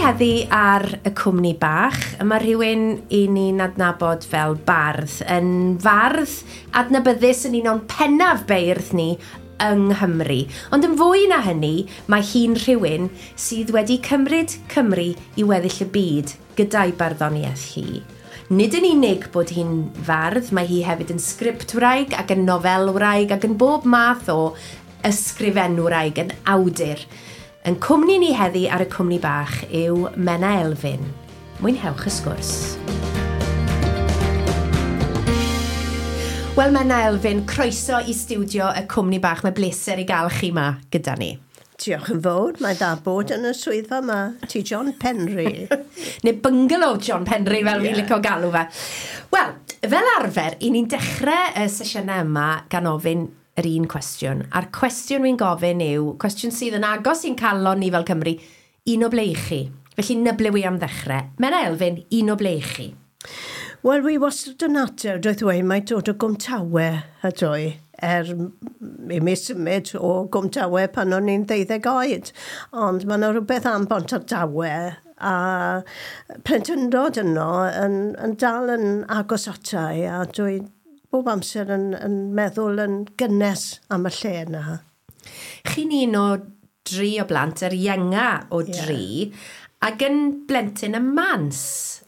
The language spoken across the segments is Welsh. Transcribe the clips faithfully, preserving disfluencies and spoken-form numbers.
heddi ar y cwmni bach, mae rhywun i ni'n adnabod fel bardd, yn fardd adnabyddus yn un o'n pennaf beirdd ni yng Nghymru. Ond yn fwy na hynny, mae hi'n rhywun sydd wedi cymryd Cymru i weddill y byd gyda'i barddoniaeth hi. Nid yn unig bod hi'n fardd, mae hi hefyd yn sgriptwraig ac yn nofelwraig ac yn bob math o ysgrifenwraig, yn awdur. Yn cwmni ni heddi ar y cwmni bach yw Menna Elfyn. Mwynhewch y sgwrs. Wel, Menna Elfyn, croeso i stiwdio y cwmni bach. Mae bleser i gael chi ma gyda ni. Diolch yn fawr. Mae dda bod yn y swyddfa yma. Ti John Penry. Neu bungalow John Penry, fel yeah. Fi'n licio galw fe. Wel, fel arfer, i ni'n dechrau y sesiynau yma gan ofyn yr un cwestiwn. A'r cwestiwn wy'n gofyn yw, cwestiwn sydd yn agos i'n calon ni fel Cymru, un o ble i chi? Felly, na ble wi am ddechrau. Menna Elfyn, un o ble i chi? Wel, wi wastad yn ateb, dweud dweud, mae dod o Gwmtawe ydw i, er i mi symud o Gwmtawe pan o'n i'n ddeuddeg oed. Ond mae yna rhywbeth am Bontardawe a plentyndod yno yn, yn dal yn agos atai, a dwi bob amser yn, yn meddwl yn gynnes am y lle yna. Chi'n un o dri o blant, yr ienga o dri, yeah. Ac yn blentyn y mans,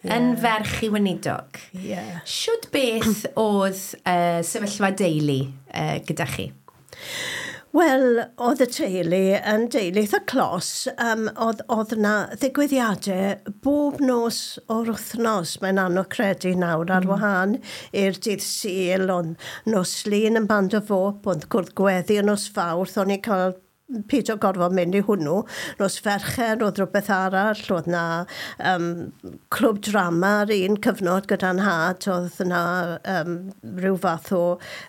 yeah. Yn ferch i weinidog. Yeah. Shwd beth oedd uh, sefyllfa deulu uh, gyda chi? Wel, oedd y teulu yn deulu eitha clos. Um, oedd, oedd yna ddigwyddiadau bob nos o'r wythnos. Mae'n anodd credu nawr ar mm. wahân i'r dydd Sul, ond nos Lun yn Band of Hope, oedd cwrdd gweddi yn nos Fawrth, o'n i'n cael peidio gorfod mynd i hwnnw. Nos Fercher, oedd rhywbeth arall, oedd na um, clwb drama ar un cyfnod gyda'n nhad, oedd na um, rhyw fath o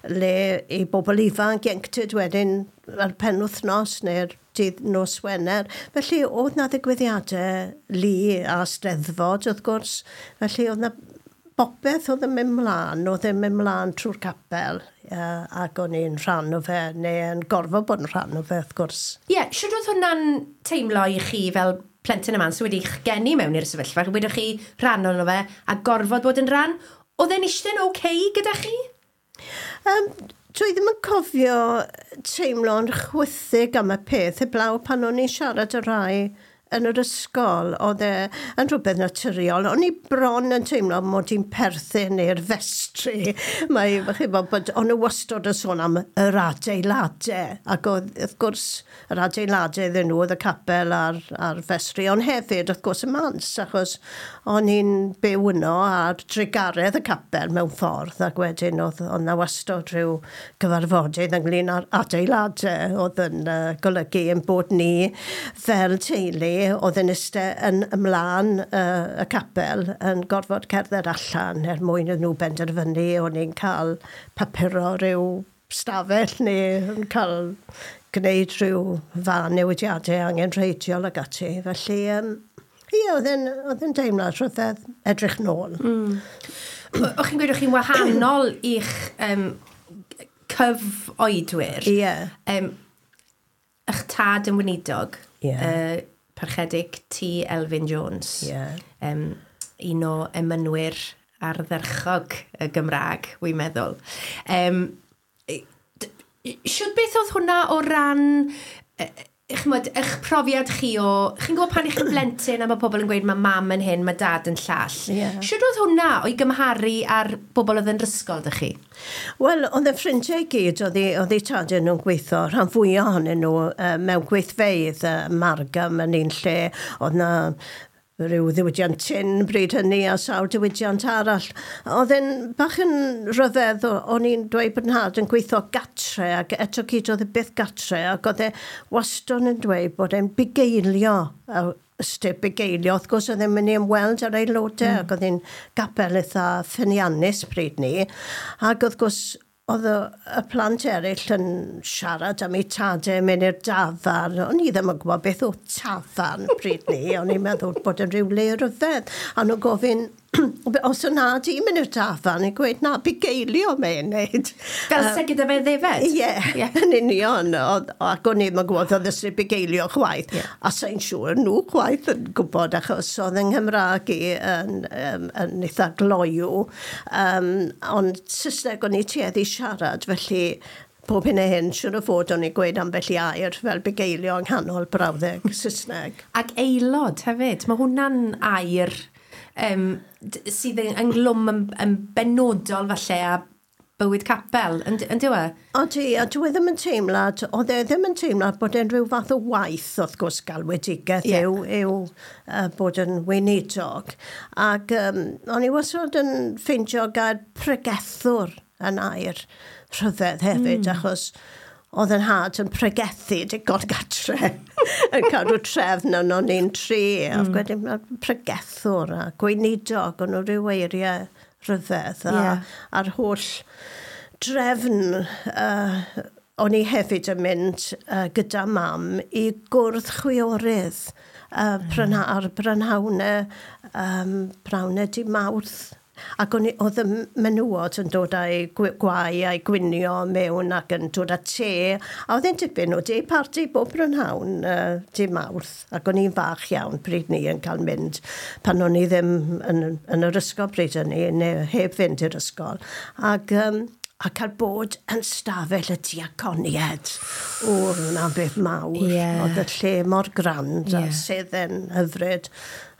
le i bobl ifanc, ieuenctid wedyn ar penwythnos neu'r dydd nos Wener. Felly oedd na ddigwyddiadau lu a steddfod wrth gwrs. Felly oedd na bopeth oedd yn mynd mlaen, oedd yn mynd mlaen trwy'r capel, uh, ac o'n i'n rhan o fe, neu yn gorfod bod yn rhan o fe, wrth gwrs. Ie, yeah, shwd oedd hwnna'n teimlo i chi fel plentyn y man sydd wedi'ch geni mewn i'r sefyllfa, wedwch chi rhan ono fe, a gorfod bod yn rhan? Oedd e'n eistedd yn oce gyda chi? Um, dwi ddim yn cofio teimlo'n chwythig am y peth, heblaw pan o'n i'n siarad y rai yn yr ysgol, oedd e yn rhywbeth naturiol. O'n i bron yn teimlo mod i'n perthyn i'r festri. Mae, chi bod, bod o'n nhw wastad yn sôn am yr adeiladau. Ac oedd, wrth gwrs, yr adeiladau iddyn nhw oedd y capel a'r, a'r festri. Ond hefyd, wrth gwrs, y mans, achos o'n i'n byw yno ar drugaredd y capel mewn ffordd. Ac wedyn oedd, oedd na wastad rhyw gyfarfodydd ynglyn â'r adeiladau oedd yn uh, golygu ein bod ni fel teulu oedd yn eistedd yn ymlaen uh, y capel yn gorfod cerdded allan er mwyn iddyn nhw benderfynu o'n i'n cael papuro rhyw stafell neu yn cael gwneud rhyw fan newidiadau angenrheidiol ac ati. Felly, um, ie, oedd e'n, oedd e'n deimlad rhyfedd edrych nôl. Mm. O'ch chi'n gweud o'ch chi'n wahanol i'ch um, cyfoedwyr. Ie. Yeah. Um, eich tad yn weinidog. Ie. Yeah. Uh, Parchedig T. Elfyn Jones. Yeah. Um, un o emynwyr ardderchog y Gymraeg, wy'n meddwl. Um, shwd beth oedd hwnna o ran ch'mod, eich profiad chi o... Chi'n gwybod pan i chi'n blentyn a mae pobl yn gweud mae mam yn hyn, mae dad yn llall. Yeah. Shwd oedd hwnna o'i gymharu ar bobl oedd yn ysgol, dych chi? Wel, oedd y ffrindiau i gyd, oedd eu tadau nhw'n gweithio, rhan fwyaf ohonyn nhw uh, mewn gweithfeydd, uh, Margam yn un lle, oedd na rhyw ddiwydiant tin bryd hynny a sawl diwydiant arall. Oedd e'n bach yn rhyfedd, o'n i'n dweud bod nhad yn gweithio gatre ac eto gyd oedd e byth gatre ac oedd e wastad yn dweud bod e'n bugeilio, ystyr bugeilio. Wrth gwrs oedd e'n mynd i ymweld ar aelodau mm. ac oedd e'n gapel eitha ffyniannus bryd ni. Ac wrth gwrs oedd y, y plant eraill yn siarad am eu tadau mynd i'r dafarn. O'n i ddim yn gwybod beth oedd tafarn pryd ni. O'n i'n meddwl bod yn rhyw le rhyfedd. A nhw'n gofyn, Os yna di mynd i'r dafan, i'n gweud, na, bugeilio mae'n neud. Fel se gyda fe ddefed? Ie, yeah, yn union. Ac o'n i'n gwybod oedd ysgrif bugeilio chwaith. Yeah. A sa'n siŵr nhw chwaith yn gwybod, achos oedd yng Nghymraeg i yn, yn, yn eitha gloyw. Um, ond Saesneg o'n i tueddu siarad, felly pob hyn a hyn, siwr o fod o'n i gweud ambell i air fel bugeilio yng nghanol brawddeg Saesneg. Ac aelod hefyd, mae hwnna'n air um, sydd yn ynglwm yn, yn benodol falle a bywyd capel, yn, yn dyw e? Odi, a dwi ddim yn teimlad, oedd e ddim yn teimlad bod e'n rhyw fath o waith, wrth gwrs, galwedigaeth yeah. yw, yw uh, bod yn weinidog. Ac um, o'n i wastad yn ffeindio gair pregethwr yn air rhyfedd hefyd, mm. achos oedd yn had yn pregethu digon gatre yn cadw trefn yn o'n i'n tri. Mm. Ac wedyn pregethwr a gweinidog, o'n nhw rhyw eiriau rhyfedd. A, yeah. A'r holl drefn uh, o'n i hefyd yn mynd uh, gyda mam i gwrdd chwiorydd uh, mm. ar brynhawnau, um, brynhawnau di Mawrth. Ac o'n i, oedd y menywod yn dod â'i gwau a'i gwinio mewn ac yn dod â te. A oedd e'n dipyn o de party bob prynhawn uh, di Mawrth. Ac o'n i'n fach iawn pryd ni yn cael mynd pan o'n i ddim yn, yn yr ysgol pryd hynny, neu heb fynd i'r ysgol. Ac, um, a cael bod yn stafell y diaconied. O, hwnna'n beth mawr. Yeah. Oedd y lle mor grand yeah. a sedd yn hyfryd.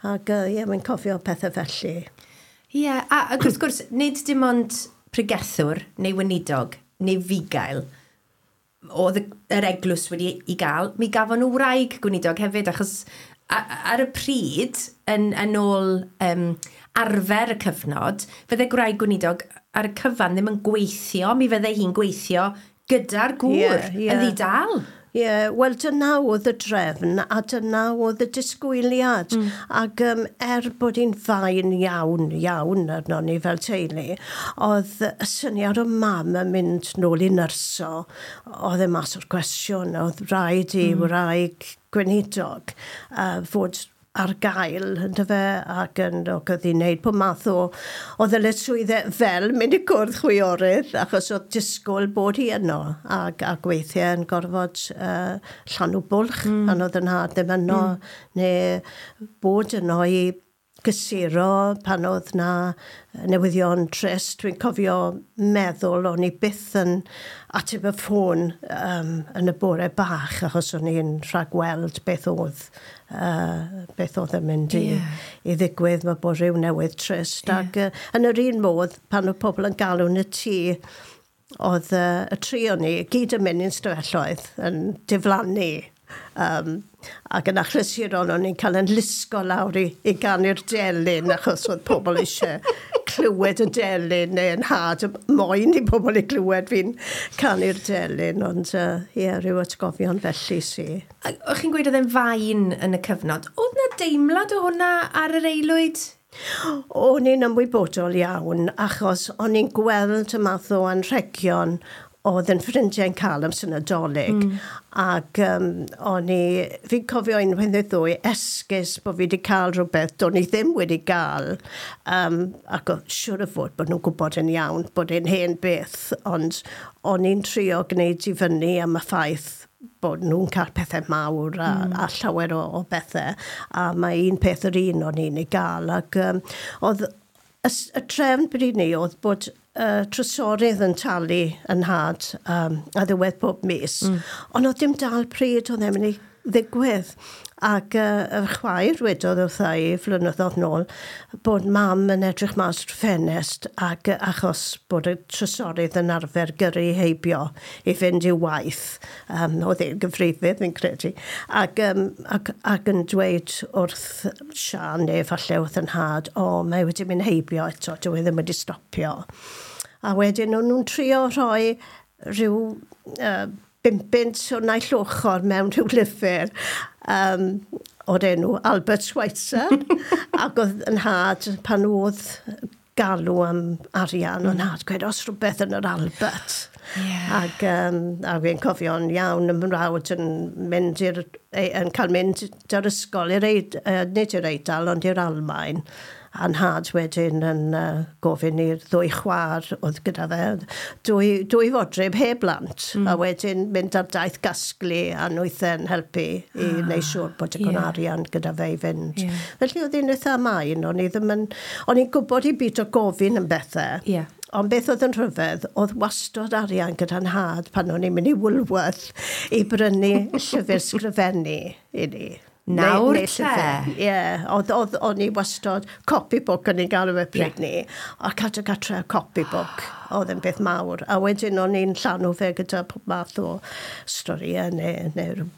Ac ie, uh, yeah, mae'n cofio pethau felly. Ie, yeah, a ac wrth gwrs, nid dim ond pregethwr neu weinidog neu fugail oedd yr eglwys wedi i gael, mi gafon nhw wraig gweinidog hefyd, achos ar y pryd, yn, yn ôl um, arfer y cyfnod, fydde gwraig gweinidog ar y cyfan ddim yn gweithio, mi fydde hi'n gweithio gyda'r gŵr yeah, yeah. yn ddi-dal. Ie, yeah, wel dyna oedd y drefn a dyna oedd y disgwyliad. Mm. Ac um, er bod hi'n fain iawn, iawn arno ni fel teulu, oedd y syniad o mam yn mynd nôl i nyrsio, oedd e mas o'r cwestiwn, oedd rhaid i mm. wraig gweinidog uh, fod ar gael, yndyfe, ac yn ac oedd hi'n neud pob math o, o ddyletswyddau fel mynd i gwrdd chwiorydd, achos oedd disgwyl bod hi yno, ac, ac weithiau yn gorfod uh, llanw bwlch, mm. pan oedd yn nhad ddim yno, mm. neu bod yno i gysuro pan oedd na newyddion trist. Dwi'n cofio meddwl o'n i byth yn ateb y ffôn um, yn y bore bach, achos o'n i'n rhagweld beth oedd, uh, beth oedd yn mynd i, yeah. i ddigwydd, mae bod rhyw newydd trist. Yeah. Ac uh, yn yr un modd, pan oedd pobl yn galw yn y tŷ, oedd uh, y tri o'n i gyd yn mynd i'n stafelloedd yn diflannu. Um, ac yn achlysurol o'n i'n cael yn lusgo lawr i, i ganu'r delyn achos oedd pobl eisiau clywed y delyn neu yn had moyn i pobl i glywed fi'n canu'r delyn, ond ie, uh, yeah, rhyw atgofion felly si. O'ch chi'n gweud oedd e'n fain yn y cyfnod. Oedd na deimlad o hwnna ar yr aelwyd? O'n i'n ymwybodol iawn achos o'n i'n gweld y math o anrhegion oedd yn ffrindiau'n cael am sy'n Nadolig. Mm. Ac um, o'n i, fi'n cofio unwaith neu ddwy esgus bod fi wedi cael rhywbeth do'n i ddim wedi gael. Um, ac oedd siŵr o fod bod nhw'n gwybod yn iawn bod e'n hen beth, ond o'n i'n trio gwneud i fyny am y ffaith bod nhw'n cael pethau mawr a, mm. a llawer o, o bethau. A mae un peth yr un o'n i'n ei gael. Ac um, oedd y, y trefn bryd ni oedd bod uh, trysorydd yn talu yn nhad um, a ddiwedd pob mis. Mm. Ond oedd dim dal pryd oedd e'n mynd i ddigwydd. Ac uh, y chwaer wedodd wrtha i flynyddoedd nôl bod mam yn edrych mas trwy ffenest ac uh, achos bod y trysorydd yn arfer gyrru heibio i fynd i'w waith. Um, oedd e'n gyfrifydd fi'n credu. Ac, um, ac, ac yn dweud wrth Sian neu falle wrth yn nhad, o, mae wedi mynd heibio eto, dyw e ddim wedi stopio. A wedyn o'n nhw'n trio rhoi rhyw uh, bum bunt o naill ochr mewn rhyw lyfr um, o'r enw Albert Schweitzer. Ac oedd yn nhad pan oedd galw am arian, o'n nhad gweud, os rhywbeth yn yr Albert. Yeah. Ac, um, a fi'n cofio'n iawn y mrawd yn mynd i'r, yn cael mynd i'r ysgol, i'r Eid, uh, nid i'r Eidal, ond i'r Almaen. A'n nhad wedyn yn uh, gofyn i'r ddwy chwaer oedd gyda fe, dwy, dwy fodryb heb blant, mm. a wedyn mynd ar daith gasglu a nwythau'n helpu i ah, wneud siŵr bod digon yeah. arian gyda fe i fynd. Yeah. Felly oedd hi'n eitha main, o'n i ddim yn, o'n i'n gwybod i byd o gofyn yn bethau. Yeah. Ond beth oedd yn rhyfedd, oedd wastod arian gyda nhad pan o'n i'n mynd i Woolworth i brynu llyfr sgrifennu i ni. Nawr te? Ie, oedd, oedd, o'n i wastod copybook o'n i'n gael e pryd yeah. ni, a cadw gatre copybook, oedd yn beth mawr. A wedyn o'n i'n llanw fe gyda pob math o storïau neu, neu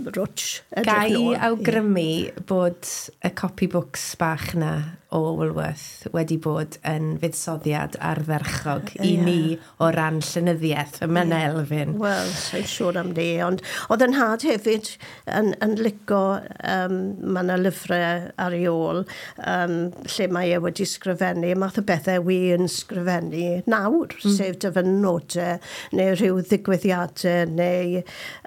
rwtsh. Ga i awgrymu yeah. bod y copybooks bach na o Woolworth wedi bod yn fuddsoddiad ardderchog i yeah. ni o ran llenyddiaeth ym yeah. Elfyn. Wel, sa'n siŵr am ni, ond oedd yn nhad hefyd yn, yn lico, um, mae yna lyfrau ar ei ôl, um, lle mae e wedi sgrifennu, math o bethau wi yn sgrifennu nawr, mm. sef dyfynodau neu rhyw ddigwyddiadau neu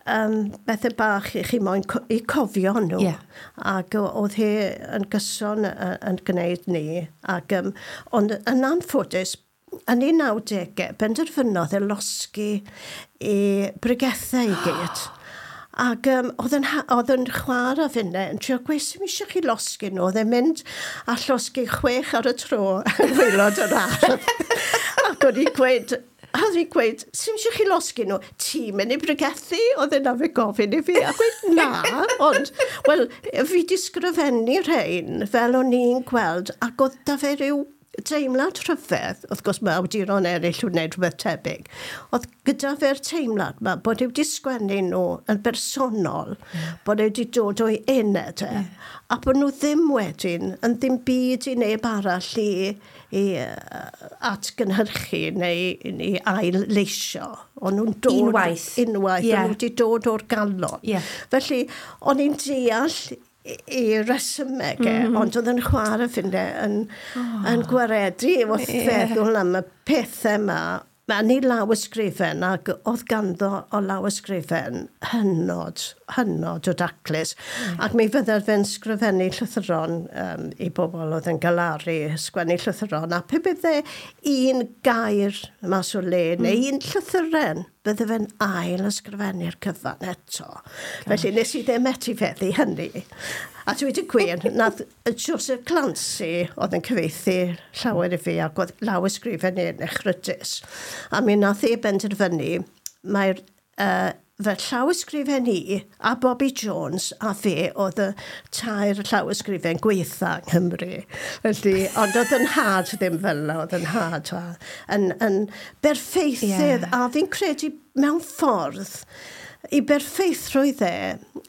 um, bethau bach i chi moyn co i cofio nhw. Yeah. Ac oedd hi yn gyson yn gwneud ni. Ac, um, ond yn anffodus, yn ei nawdegau, benderfynodd e losgi i bregethau i gyd. Ac um, oedd yn, oedd yn chwarae finne yn trio gweud, sy'n eisiau chi losgi nhw. Oedd e'n mynd a llosgi chwech ar y tro yn waelod yr ardd. Ac o'n i'n gweud, a oedd hi'n gweud, sy'n eisiau chi losgi nhw? Ti'n mynd i bregethu? Oedd e'n fe gofyn i fi. A gweud, na, ond, wel, fi di sgrifennu rhain fel o'n i'n gweld, ac oedd da fe rhyw teimlad rhyfedd, wrth gwrs mae awduron eraill yn gwneud rhywbeth tebyg, oedd gyda fe'r teimlad ma bod e wedi sgwennu nhw yn bersonol, yeah. bod e wedi dod o'i ened e, yeah. a bod nhw ddim wedyn yn ddim byd i neb arall i, i atgynhyrchu neu i ail-leisio. O'n nhw'n dod... Unwaith. Unwaith, yeah. O'n nhw wedi dod o'r galon. Yeah. Felly, o'n i'n deall i resymeg e, mm -hmm. ond oedd yn chwarae ffinde yn, oh. yn gwaredu wrth yeah. feddwl am y pethau yma. Mae ni law ysgrifen, ac oedd ganddo o law ysgrifen hynod, hynod o daclus. Mm. Ac mi fydde fe'n sgrifennu llythyron um, i bobl oedd yn galaru, sgwennu llythyron, a pe bydde un gair mas o le, mm. neu un llythyren, bydde fe'n ail ysgrifennu'r cyfan eto. Gosh. Felly nes i ddim etifeddu hynny. A dweud y gwir, nath Joseph Clancy oedd yn cyfieithu llawer i fi ac oedd law ysgrifen i'n echrydus. A mi nath e benderfynu, mae'r uh, fe llaw ysgrifen i a Bobby Jones a fe oedd y tair llaw ysgrifen gweitha yng Nghymru. Felly, ond oedd yn nhad ddim fel yna, oedd yn nhad yn, yn berffeithydd, yeah. a fi'n credu mewn ffordd i berffeithrwydd e,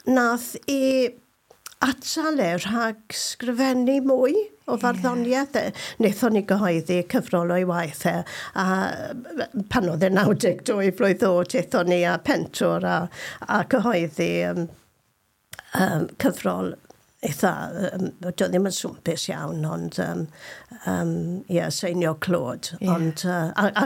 nath i atal e rhag sgrifennu mwy o farddoniaeth. Yeah. Wnaethon ni gyhoeddi cyfrol o'i waith e, a pan oedd e naw deg dwy flwydd oed, aethon ni a pentwr a, a cyhoeddi um, um, cyfrol eitha, um, doedd ddim yn swmpus iawn, ond um, um, yeah, seinio clod. Yeah. Ond, uh, a, a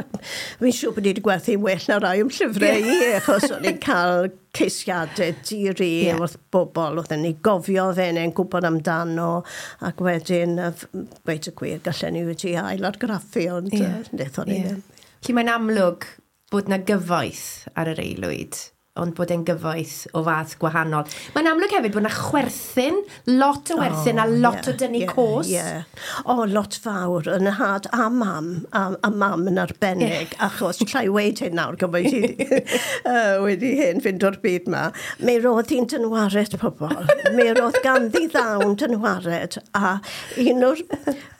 fi'n siŵr bod ni wedi gwerthu'n well na rai o'm llyfrau i, achos o'n i'n cael ceisiadau diri yeah. wrth bobl, oedd yn ei gofio fe neu'n gwybod amdano, ac wedyn, gweud y gwir, gallen ni wedi ail argraffu, ond yeah. uh, wnaethon ni yeah. ddim. Felly mae'n amlwg bod na gyfoeth ar yr aelwyd, ond bod e'n gyfoeth o fath gwahanol. Mae'n amlwg hefyd bod yna chwerthin, lot o werthin oh, a lot yeah, o dynnu yeah, cos. Yeah. O, oh, lot fawr, yn y had a mam, a, a mam yn arbennig, yeah. achos llai weid hyn nawr, gymaint i uh, wedi hyn fynd o'r byd ma. Mi roedd hi'n dynwared pobl. Mi roedd ganddi ddawn dynwared, a un o'r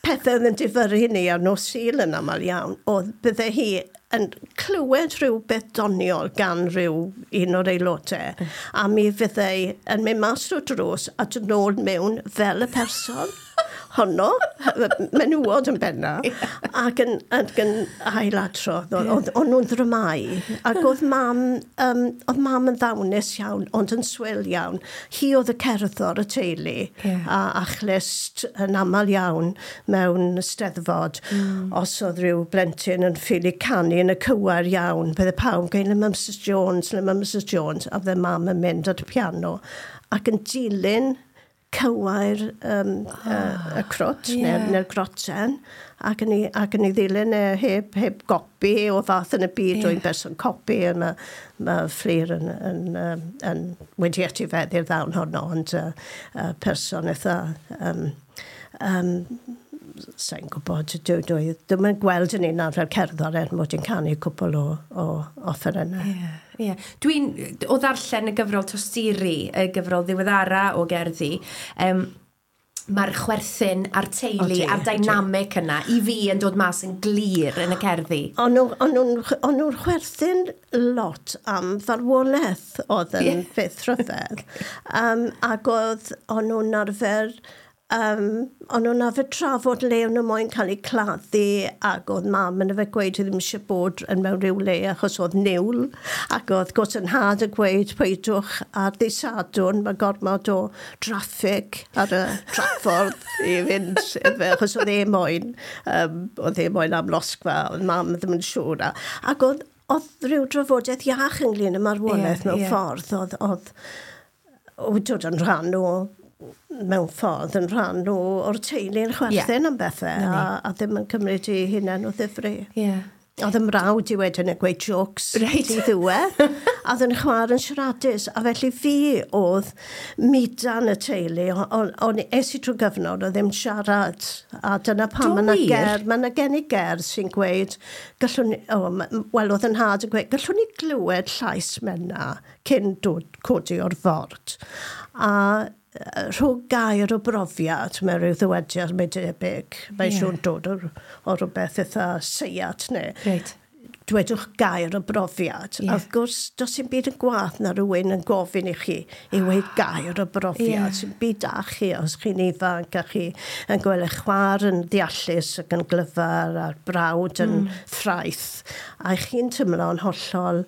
pethau oedd yn difyrru ni ar nos Sul yn aml iawn, oedd bydde hi yn clywed rhywbeth doniol gan rhyw un o'r aelodau, a mi fyddai yn mynd mas o'r drws a dod nôl mewn fel y person honno, menywod yn benna, ac yn, ac yn ailadrodd, oedd o'n nhw'n ddramau. Ac oedd mam, um, oedd mam yn ddawnus iawn, ond yn swil iawn. Hi oedd y cerddor y teulu, yeah. a, a chlust yn aml iawn mewn steddfod. Mm. Os oedd rhyw blentyn yn ffili canu yn y cywair iawn, bydde pawb yn gweud, le mae Missus Jones, le mae Missus Jones, a bydde mam yn mynd at y piano, ac yn dilyn Cywair um, oh, y, y crwt, yeah. neu'r neu groten, ac yn ei, ac yn ei ddilyn e heb, heb gopi o fath yn y byd, yeah. Dwi'n berson copi, a mae ma Fflur yn, yn, yn, yn wedi etifeddu'r ddawn honno, ond uh, uh, person eitha um, um, sa'n gwybod, dwi, dwi, dwi'm yn gweld yn un arfer cerddor er mod i'n canu cwpl o, o offerynnau. Ie, yeah, yeah. Dwi'n, o ddarllen y gyfrol Tosturi, y gyfrol ddiweddara o gerddi, um, mae'r chwerthin a'r teulu a'r dynamic yna i fi yn dod mas yn glir yn y cerddi. O'n nhw'n chwerthin lot am farwolaeth oedd yn yeah. beth rhyfedd. um, ac oedd o'n nhw'n arfer Um, o'n nhw'n arfer trafod le o'n nhw moyn cael eu claddu, ac oedd mam yn arfer gweud ddim eisiau bod yn mewn rhyw le achos oedd niwl, ac oedd gwrs yn nhad yn gweud peidwch ar ddydd Sadwrn, mae gormod o draffig ar y draffordd i fynd, achos oedd e moyn, um, oedd e moyn amlosgfa, oedd mam ddim yn siŵr. Ac oedd, oedd rhyw drafodaeth iach ynglyn â marwolaeth yeah, mewn yeah. ffordd, oedd, oedd, oedd dod yn rhan o mewn ffordd yn rhan o, o'r teulu'n chwerthin yeah. am bethau a, a ddim yn cymryd i hunain o ddifri. Yeah. Oedd 'y mrawd i wedyn yn gweud jokes right. di ddiwedd. A oedd yn chwaer yn siaradus. A felly fi oedd mudan y teulu. O'n es i trwy gyfnod o ddim siarad. A dyna pam mae yna ger, mae yna gen i gerdd sy'n gweud, gallwn ni, oh, wel oedd yn nhad yn gweud, gallwn ni glywed llais Menna cyn dod codi o'r ford. A rhwng gair o brofiad, mae rhyw ddywediad, mae debyg, mae'n yeah. siŵr dod o, o rhywbeth eitha seiat neu. Right. Dwedwch gair o brofiad. Yeah. A wrth gwrs, does dim byd yn gwaeth na rhywun yn gofyn i chi i weud gair o brofiad. Yeah. Sy'n byd da chi os chi'n ifanc a chi yn gweld eich chwaer yn ddeallus ac yn glyfar a'r brawd yn mm. ffraeth. A chi'n teimlo'n hollol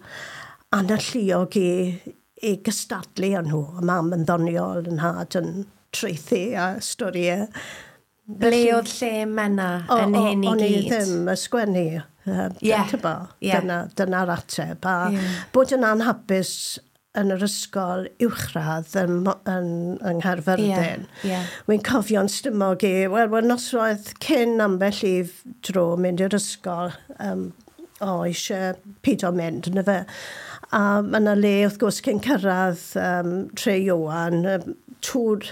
analluog i i gystadlu â nhw. A mam yn ddoniol, yn nhad yn traethu a storïau. Ble oedd lle Menna yn hyn i gyd? O'n i ddim ysgwennu. Yeah. Yeah. Dyna, dyna'r ateb. A yeah. bod yn anhapus yn yr ysgol uwchradd yn, yn, yng Nghaerfyrddin. Yeah. Yeah. Wy'n cofio'n stymog i, wel, wel noswaith cyn ambell i dro mynd i'r ysgol, um, o, eisiau pido mynd, na fe. A mae yna le, wrth gwrs, cyn cyrraedd um, Tre Ioan, um, tŵr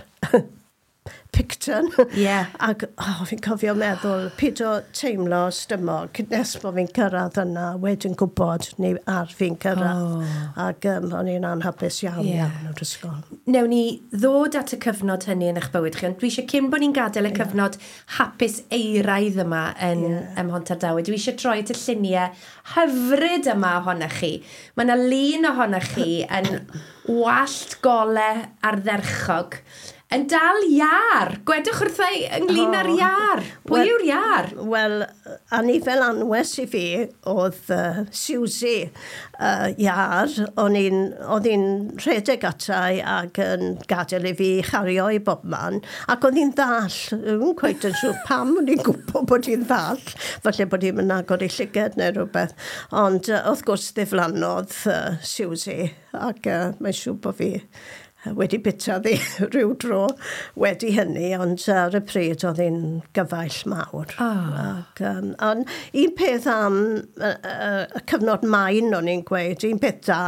Picton. Yeah. Ac oh, fi'n cofio meddwl, pido teimlo stymog, nes bod fi'n cyrraedd yna, wedyn gwybod ni ar fi'n cyrraedd. Oh. Ac um, o'n i'n anhapus iawn yeah. iawn o'r ysgol. Newn ni ddod at y cyfnod hynny yn eich bywyd chi, ond dwi eisiau cyn bod ni'n gadael y yeah. cyfnod hapus euraidd yma yn yeah. ym Mhontardawe. Dwi eisiau troi at y lluniau hyfryd yma ohonoch chi. Mae yna lun ohonoch chi yn wallt gole ardderchog. Yn dal iar. Gwedwch wrtha i ynglyn â'r Oh. iar. Pwy Wel- yw'r iar? Wel, anifel anwes i fi oedd uh, Susie uh, iar. O'n i'n oedd hi'n rhedeg atai ac yn gadael i fi chario i bob man. Ac oedd hi'n ddall. Dwi'n cweit yn siŵr pam o'n i'n gwybod bod hi'n ddall. Falle bod hi'n mynd agor ei llygad neu rhywbeth. Ond uh, wrth gwrs ddiflannodd uh, Susie ac uh, mae'n siŵr bod fi wedi bita ddi rhyw dro wedi hynny, ond ar y pryd oedd hi'n gyfaill mawr. Oh. Ac, um, ond un peth am y, y, y cyfnod main o'n i'n gweud, un peth da,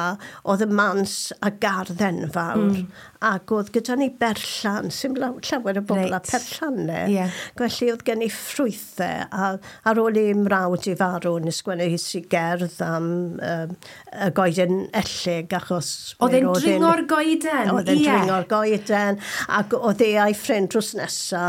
oedd y mans a gardd enfawr, Mm. ac oedd gyda ni berllan, sy'n llawer o bobl Reit. a perllannau. Ie. Felly oedd gen i ffrwythau, a ar ôl i mrawd i farw, nes sgwennu hi si gerdd am um, y goeden ellig, achos... Oedd mi e'n roedd hi'n- dringo'r goeden? Oedd e'n Ie. dringo'r goeden, ac oedd e a'i ffrind drws nesa,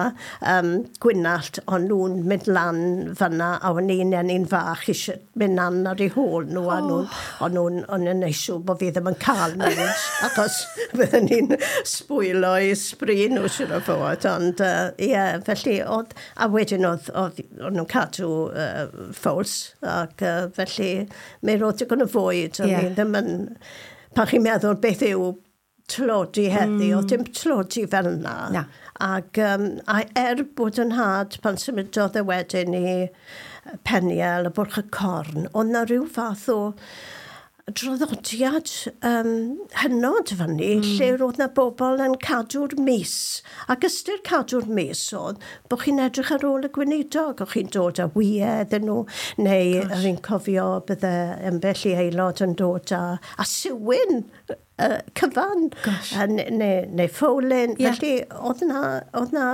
um, Gwynallt, o'n nhw'n mynd lan fyna, a o'n i'n enni'n fach eisiau mynd lan ar eu hôl nhw, a nhw'n, o'n nhw'n, o'n nhw'n neud siŵr bod fi ddim yn cael mynd, achos bydden ni'n sbwylo i sbri nhw siŵr o fod, ond ie, uh, yeah, felly oedd, a wedyn oedd, oedd, o'n nhw'n cadw uh, ffowls, ac uh, felly mi roedd digon o fwyd, o'n Ie. i ddim yn, pan chi'n meddwl beth yw tlodi heddi, mm. oedd dim tlodi fel yna. Na. Ac um, a er bod yn nhad pan symudodd e wedyn i Peniel, y Bwrch y Corn, oedd na rhyw fath o Draddodiad um, hynod fyny, mm. lle roedd na bobl yn cadw'r mis. Ac ystyr cadw'r mis oedd bod chi'n edrych ar ôl y gweinidog, o'ch chi'n dod â wyau iddyn nhw, neu fi'n cofio bydde ambell i aelod yn dod â, a siwin uh, cyfan, uh, neu, neu ffowlyn. Yeah. Felly oedd na, oedd na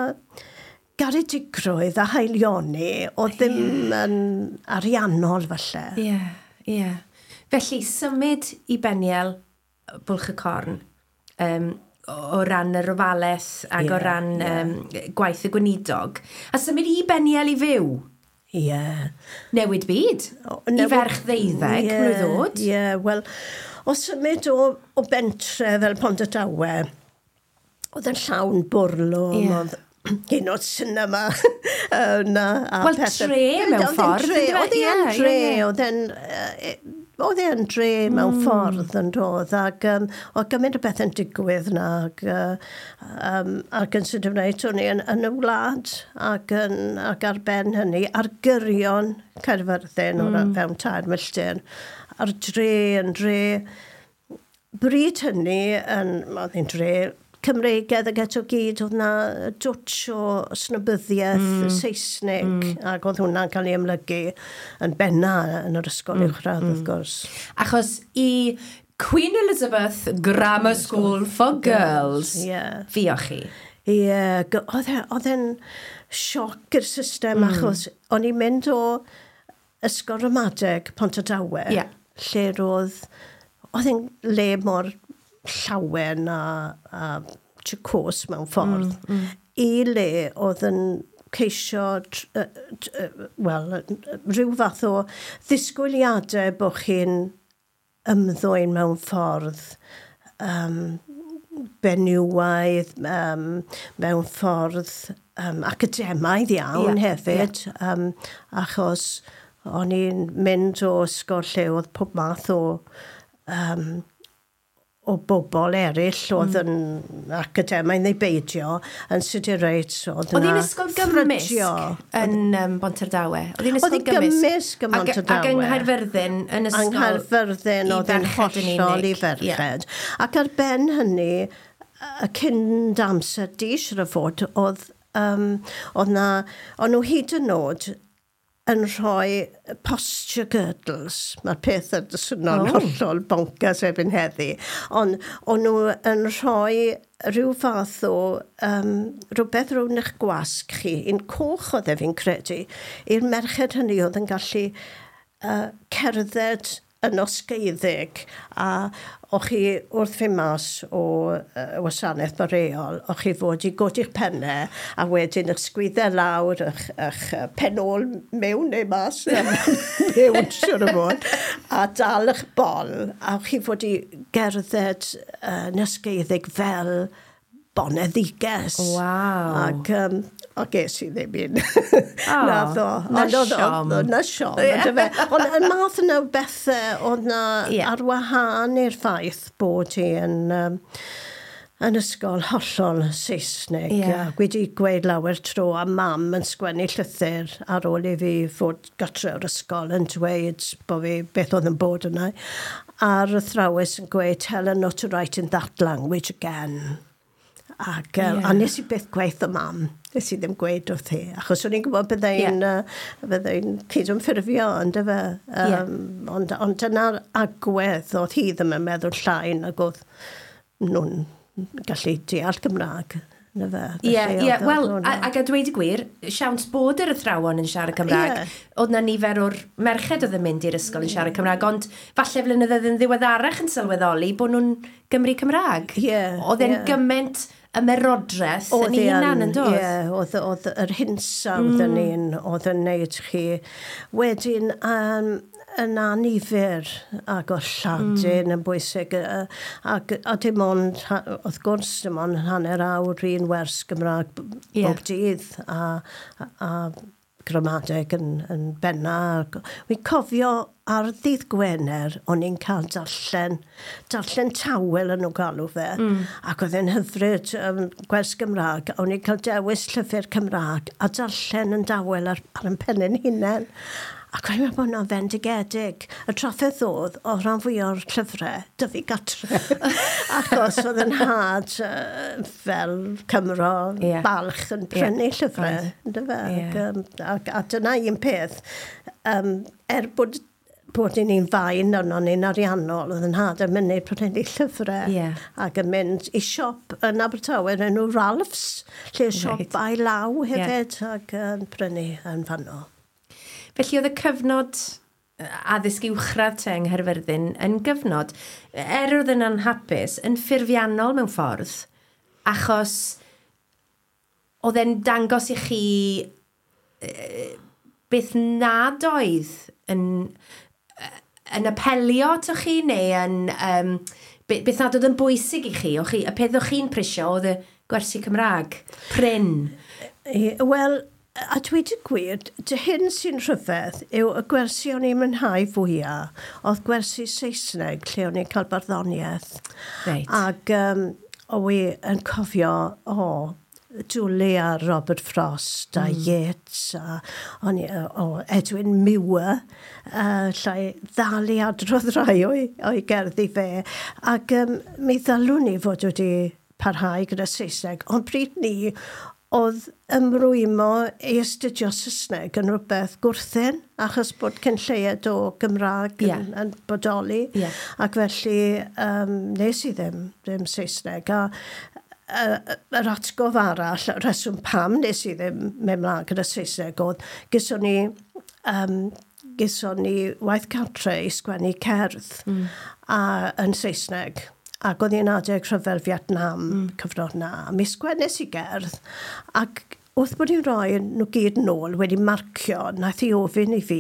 garedigrwydd a haelioni oedd ddim yeah. yn ariannol falle. Ie, yeah, ie. Yeah. Felly, symud i Beniel, Bwlch y Corn, um, o ran yr ofalaeth ac yeah, o ran yeah. um, gwaith y gweinidog, a symud i Beniel i fyw. Ie. Yeah. Newid byd. O, newid, i ferch ddeuddeg, yeah, mlwydd oed. Ie, yeah, wel, o symud o, o bentre fel Pontardawe, oedd yn llawn bwrlwm, yeah. oedd hyn o'r cinema yna. Wel, tre mewn ffordd. Oedd hi'n dre, oedd e'n oedd e'n dre mewn mm. ffordd yn dod, ac um, oedd gymaint o beth yn digwydd na, ac, uh, um, ac yn sydyn wneud, o'n i yn, yn y wlad, ac, yn, ac ar ben hynny, ar gyrion Caerfyrddin, mm. o'r fewn tair milltir, a'r dre yn dre, bryd hynny, yn, oedd hi'n dre Cymreigedd ac eto gyd, oedd na dwtch o snobyddiaeth mm. Saesneg, mm. ac oedd hwnna'n cael ei amlygu yn benna yn yr ysgol mm. uwchradd, mm. wrth gwrs. Achos i Queen Elizabeth Grammar School for Girls, yeah. fuoch chi? Ie, yeah, oedd e'n sioc i'r system, mm. achos o'n i'n mynd o ysgol ramadeg Pontardawe, yeah. lle roedd, oedd e'n le mor llawen a, a jocose mewn ffordd, mm, mm. i le oedd yn ceisio, wel, rhyw fath o ddisgwyliadau bod chi'n ymddwyn mewn ffordd um, benywaidd, um, mewn ffordd um, academaidd iawn yeah, hefyd, yeah. um, achos o'n i'n mynd o ysgol lle oedd pob math o um, o bobl eraill oedd mm. yn academaidd neu beidio, yn sydyn reit, oedd yna... Oedd hi'n ysgol gymysg yn um, Bontardawe? Oedd hi'n ysgol gymysg yn Bontardawe. Ac yng Nghaerfyrddin yn ysgol Yng Nghaerfyrddin oedd yn hollol i ferched. Yeah. Ac ar ben hynny, y cyn amser di siŵr o fod, oedd, um, oedd na, o'n nhw hyd yn oed yn rhoi posture girdles. Mae'r peth yn swnio'n Oh. hollol bonkers erbyn heddi. Ond o'n nhw yn rhoi rhyw fath o um, rhywbeth rownd eich gwasg chi, un coch oedd e fi'n credu, i'r merched hynny oedd yn gallu uh, cerdded yn osgeiddig, a o'ch chi wrth fynd mas o uh, wasanaeth boreol, o'ch chi fod i godi'ch pennau a wedyn eich sgwyddau lawr, eich, eich pen ôl mewn neu mas, mewn siwr o fod, a dal eich bol, a o'ch chi fod i gerdded uh, yn osgeiddig fel boneddiges. Waw. Ac, um, o ges i ddim un. Oh, Nath o. Na Ond oedd- siom. oedd- Na siom, yndyfe. Ond y math yna o bethau oedd na Ie. ar wahân i'r ffaith bod hi yn, um, yn ysgol hollol Saesneg. Ie. A wedi gweud lawer tro a mam yn sgwennu llythyr ar ôl i fi fod gatre o'r ysgol yn dweud bod fi beth oedd yn bod yna. A'r athrawes yn gweud, "Tell her not to write in that language again." Ac, yeah. Ie. A nes i byth gweud y mam, nes i ddim gweud wrth hi, achos o'n i'n gwybod byddai'n Ie. yeah. uh, byddai'n cydymffurfio, yndyfe. Ie. Um, Ond, ond dyna'r agwedd, oedd hi ddim yn meddwl llai nag oedd nhw'n gallu deall Gymraeg. Yndyfe. Ie, Felly ie, oedd- wel, oedd hwnna- a- ac a dweud y gwir, siawns bod yr athrawon yn siarad Cymraeg. Ie. Oedd na nifer o'r merched oedd yn mynd i'r ysgol yn siarad Cymraeg, ond falle flynyddoedd yn ddiweddarach yn sylweddoli bod nhw'n Gymru Cymraeg. Ie, Oedd e'n ie. gymaint ymerodraeth Oedd yn ei hi hunan yn dod. Ie, oedd, oedd yr hinsawdd mm. yn un, oedd yn neud chi. Wedyn, um, yn anifyr ac oedd Lladin mm. yn bwysig, yy, ac, a dim ond, ha- wrth gwrs, dim ond hanner awr un wers Gymraeg b- Ie. bob dydd, a, a, a gramadeg yn, yn benna. Ac Wi'n cofio ar ddydd Gwener, o'n i'n cael darllen, darllen tawel yn nhw galw fe, mm. ac oedd e'n hyfryd um, gwers Gymraeg, o'n i'n cael dewis llyfr Cymraeg a darllen yn dawel ar, ar yn pennau'n hunain. Ac o'n i'n meddwl bod hwnna'n fendigedig. Y trafferth oedd o rhan fwy o'r llyfrau, 'da fi gatre. Achos oedd yn nhad uh, fel Cymro Ie. balch yn prynu Ie. llyfrau. Oedd. Yndyfe? Ie. Ac, um, ac, a dyna un peth. Um, er bod bod ni'n fain arno ni'n ariannol, oedd yn nhad yn mynd prynu llyfrau Ie. ac yn mynd i siop yn Abertawe yn enw Ralph's, lle siop Reit. ail law hefyd, ac yn prynu yn fanno. Felly oedd y cyfnod yy, addysg uwchradd te yng Nghaerfyrddin yn gyfnod, er oedd yn anhapus, yn ffurfiannol mewn ffordd, achos oedd e'n dangos i chi yy, beth nad oedd yn, yy, yn apelio ato chi, neu yn, um, beth nad oedd yn bwysig i chi, o'ch chi, y peth o'ch chi'n prisio oedd y gwersi Cymraeg, prin. Ie, wel, a dweud y gwir, dy hyn sy'n rhyfedd yw y gwersi o'n i'n mwynhau fwyaf, oedd gwersi Saesneg lle o'n i'n cael barddoniaeth. Reit. Ac um, o i yn cofio, o, dwlu ar Robert Frost a mm. Yeats a o'n i, o Edwin Muir, uh, llai ddal i adrodd rai o'i, o'i gerddi fe. Ac um, mi ddylwn ni fod wedi parhau gyda Saesneg, ond pryd ni oedd ymrwymo i astudio Saesneg yn rhywbeth gwrthyn, achos bod cyn lleied o Gymraeg Ie. yn, yn bodoli. Ie. Ac felly um, nes i ddim, ddim Saesneg. A uh, yr atgof arall, y rheswm pam nes i ddim mynd mlaen gyda Saesneg oedd, gyson ni, um, gyson ni waith cartre i sgwennu cerdd mm. a, yn Saesneg. Ac oedd hi'n adeg rhyfel Vietnam mm. cyfnod na. A mi sgwennes i gerdd, ac wrth bod hi'n rhoi nhw gyd nôl wedi marcio, nath hi ofyn i fi,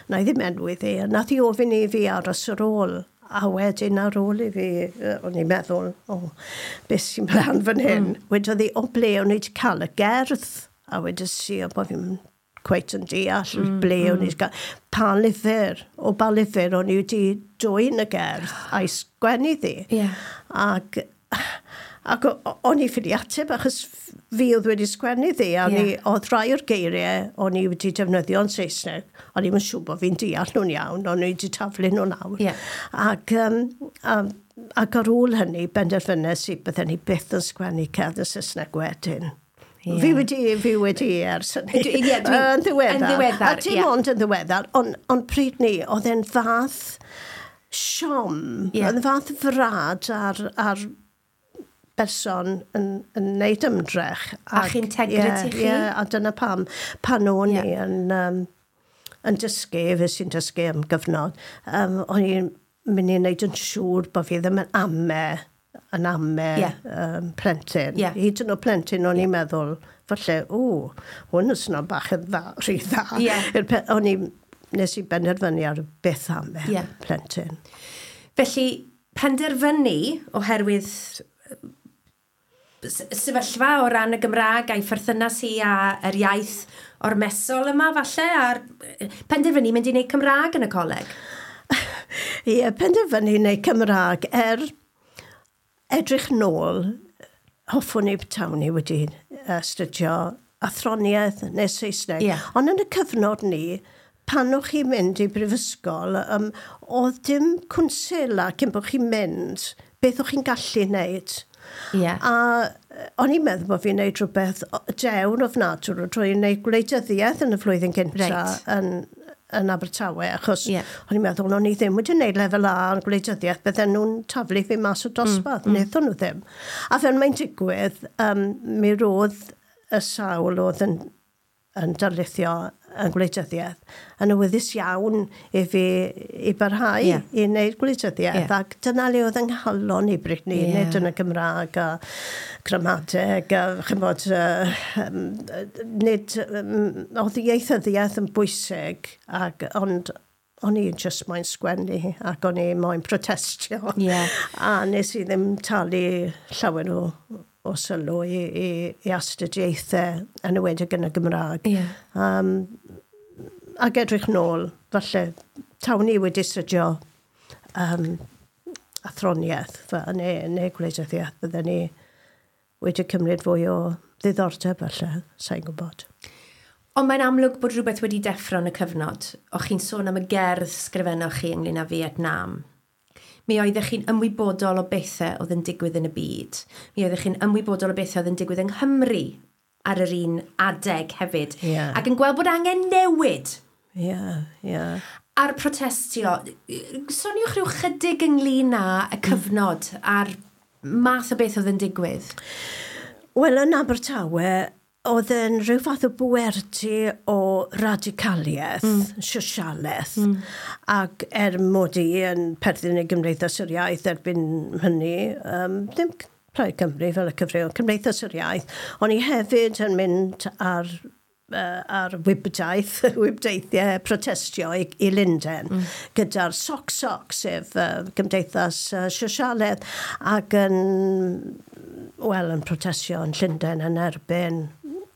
na i ddim enwi ddi, nath hi ofyn i fi aros ar ôl. A wedyn ar ôl i fi, yy, o'n i'n meddwl, o, beth sy'n mlaen fan hyn? Mm. Wedodd hi, o ble o'n i wedi cael y gerdd? A wedes i, o bod fi'n cweit yn deall mm, ble mm. o'n i wedi cael. Pa lyfr, o ba lyfr o'n i wedi dwyn y gerdd a'i sgwennu ddi. Ie. Ac, ac o- o- o'n i ffili ateb achos fi oedd wedi sgwennu ddi, a o'n Ie. i, oedd rai o'r geiriau o'n i wedi defnyddio yn Saesneg, o'n i'm yn siŵr bod fi'n deall nhw'n iawn, o'n i wedi taflu nhw lawr. Ie. Ac, um, a, ac ar ôl hynny, benderfynes i bydden ni byth yn sgwennu cerdd yn Saesneg wedyn. Ie. Fi wedi, fi wedi ers hynny. Dwi- ie, dwi- Yn ddiweddar. yn ddiweddar, A dim ie. ond yn ddiweddar, ond on pryd ni, oedd e'n fath siom, Ie. oedd e'n fath frad ar, ar berson yn, yn neud ymdrech. A'ch integrity ie, chi. Ie, a dyna pam, pan o'n Ie. i yn, um, yn dysgu, fe sy'n dysgu am gyfnod, um, o'n i'n mynd i wneud yn siŵr bod fi ddim yn ame, yn ame Ie. um, plentyn. Ie. Hyd yn oed plentyn o'n i'n meddwl, falle, o, hwn yn swnio bach yn dda, rhy dda. Ie. I'r pe- O'n i, nes i benderfynu ar byth ame Ie. plentyn. Felly, penderfynu oherwydd s- sefyllfa o ran y Gymraeg a'i pherthynas hi a yr iaith ormesol yma falle, a'r penderfynu mynd i wneud Cymraeg yn y coleg. Ie, penderfynu wneud Cymraeg er edrych nôl, hoffwn i petawn i wedi astudio athroniaeth neu Saesneg. Ie. Ond yn y cyfnod ni, pan o'ch chi'n mynd i brifysgol, um, oedd dim cwnsela cyn bod chi'n mynd, beth o'ch chi'n gallu wneud. Ie. A yy, o'n i'n meddwl bod fi'n neud rhywbeth o- dewn ofnadwy drwy wneud gwleidyddiaeth yn y flwyddyn gyntaf Reit. yn, yn Abertawe, achos Ie. o'n i'n meddwl o'n i ddim wedi wneud lefel A yn gwleidyddiaeth, bydden nhw'n taflu fi mas o dosbarth, mm. wnaethon nhw ddim. A fel mae'n digwydd, um, mi roedd y sawl oedd yn, yn darlithio yn gwleidyddiaeth yn awyddus iawn i fi i barhau Ie. i wneud gwleidyddiaeth. Ie. Ac dyna le oedd yng nghalon i Britney, Ie. nid yn y Gymraeg a gramadeg a chymod, uh, um, nid, um, oedd ieithyddiaeth yn bwysig, ac, ond o'n i just moyn sgwennu ac o'n i moyn protestio. Ie. A nes i ddim talu llawer o, o sylw i, i, i astudiaethau yn enwedig yn y Gymraeg. Ie. Um, ac edrych nôl, falle, tawn i wedi astudio um, athroniaeth, fe, neu, neu gwleidyddiaeth, bydden ni wedi cymryd fwy o ddiddordeb falle, sa'n gwybod. Ond mae'n amlwg bod rhywbeth wedi deffro yn y cyfnod. O'ch chi'n sôn am y gerdd sgrifennoch chi ynglyn â Vietnam. Mi oeddech chi'n ymwybodol o bethau oedd yn digwydd yn y byd. Mi oeddech chi'n ymwybodol o bethau oedd yn digwydd yng Nghymru ar yr un adeg hefyd. Yeah. Ac yn gweld bod angen newid. Ie, yeah, ie. Yeah. A'r protestio. Soniwch rhyw chydig ynglyn â y cyfnod a'r math o beth oedd yn digwydd. Wel, yn Abertawe, oedd yn rhyw fath o bwerdy o radicaliaeth, mm. sosialaeth, mm. ac er mod i yn perthyn i Gymdeithas yr Iaith erbyn hynny, um, ddim Plaid Cymru fel y cyfryw, Cymdeithas yr Iaith, o'n i hefyd yn mynd ar uh, ar wibdaith, wibdeithiau protestio i, i Lundain, mm. gyda'r Soc Soc, sef uh, Gymdeithas uh, Sosialedd, ac yn, wel, yn protestio yn Llundain yn erbyn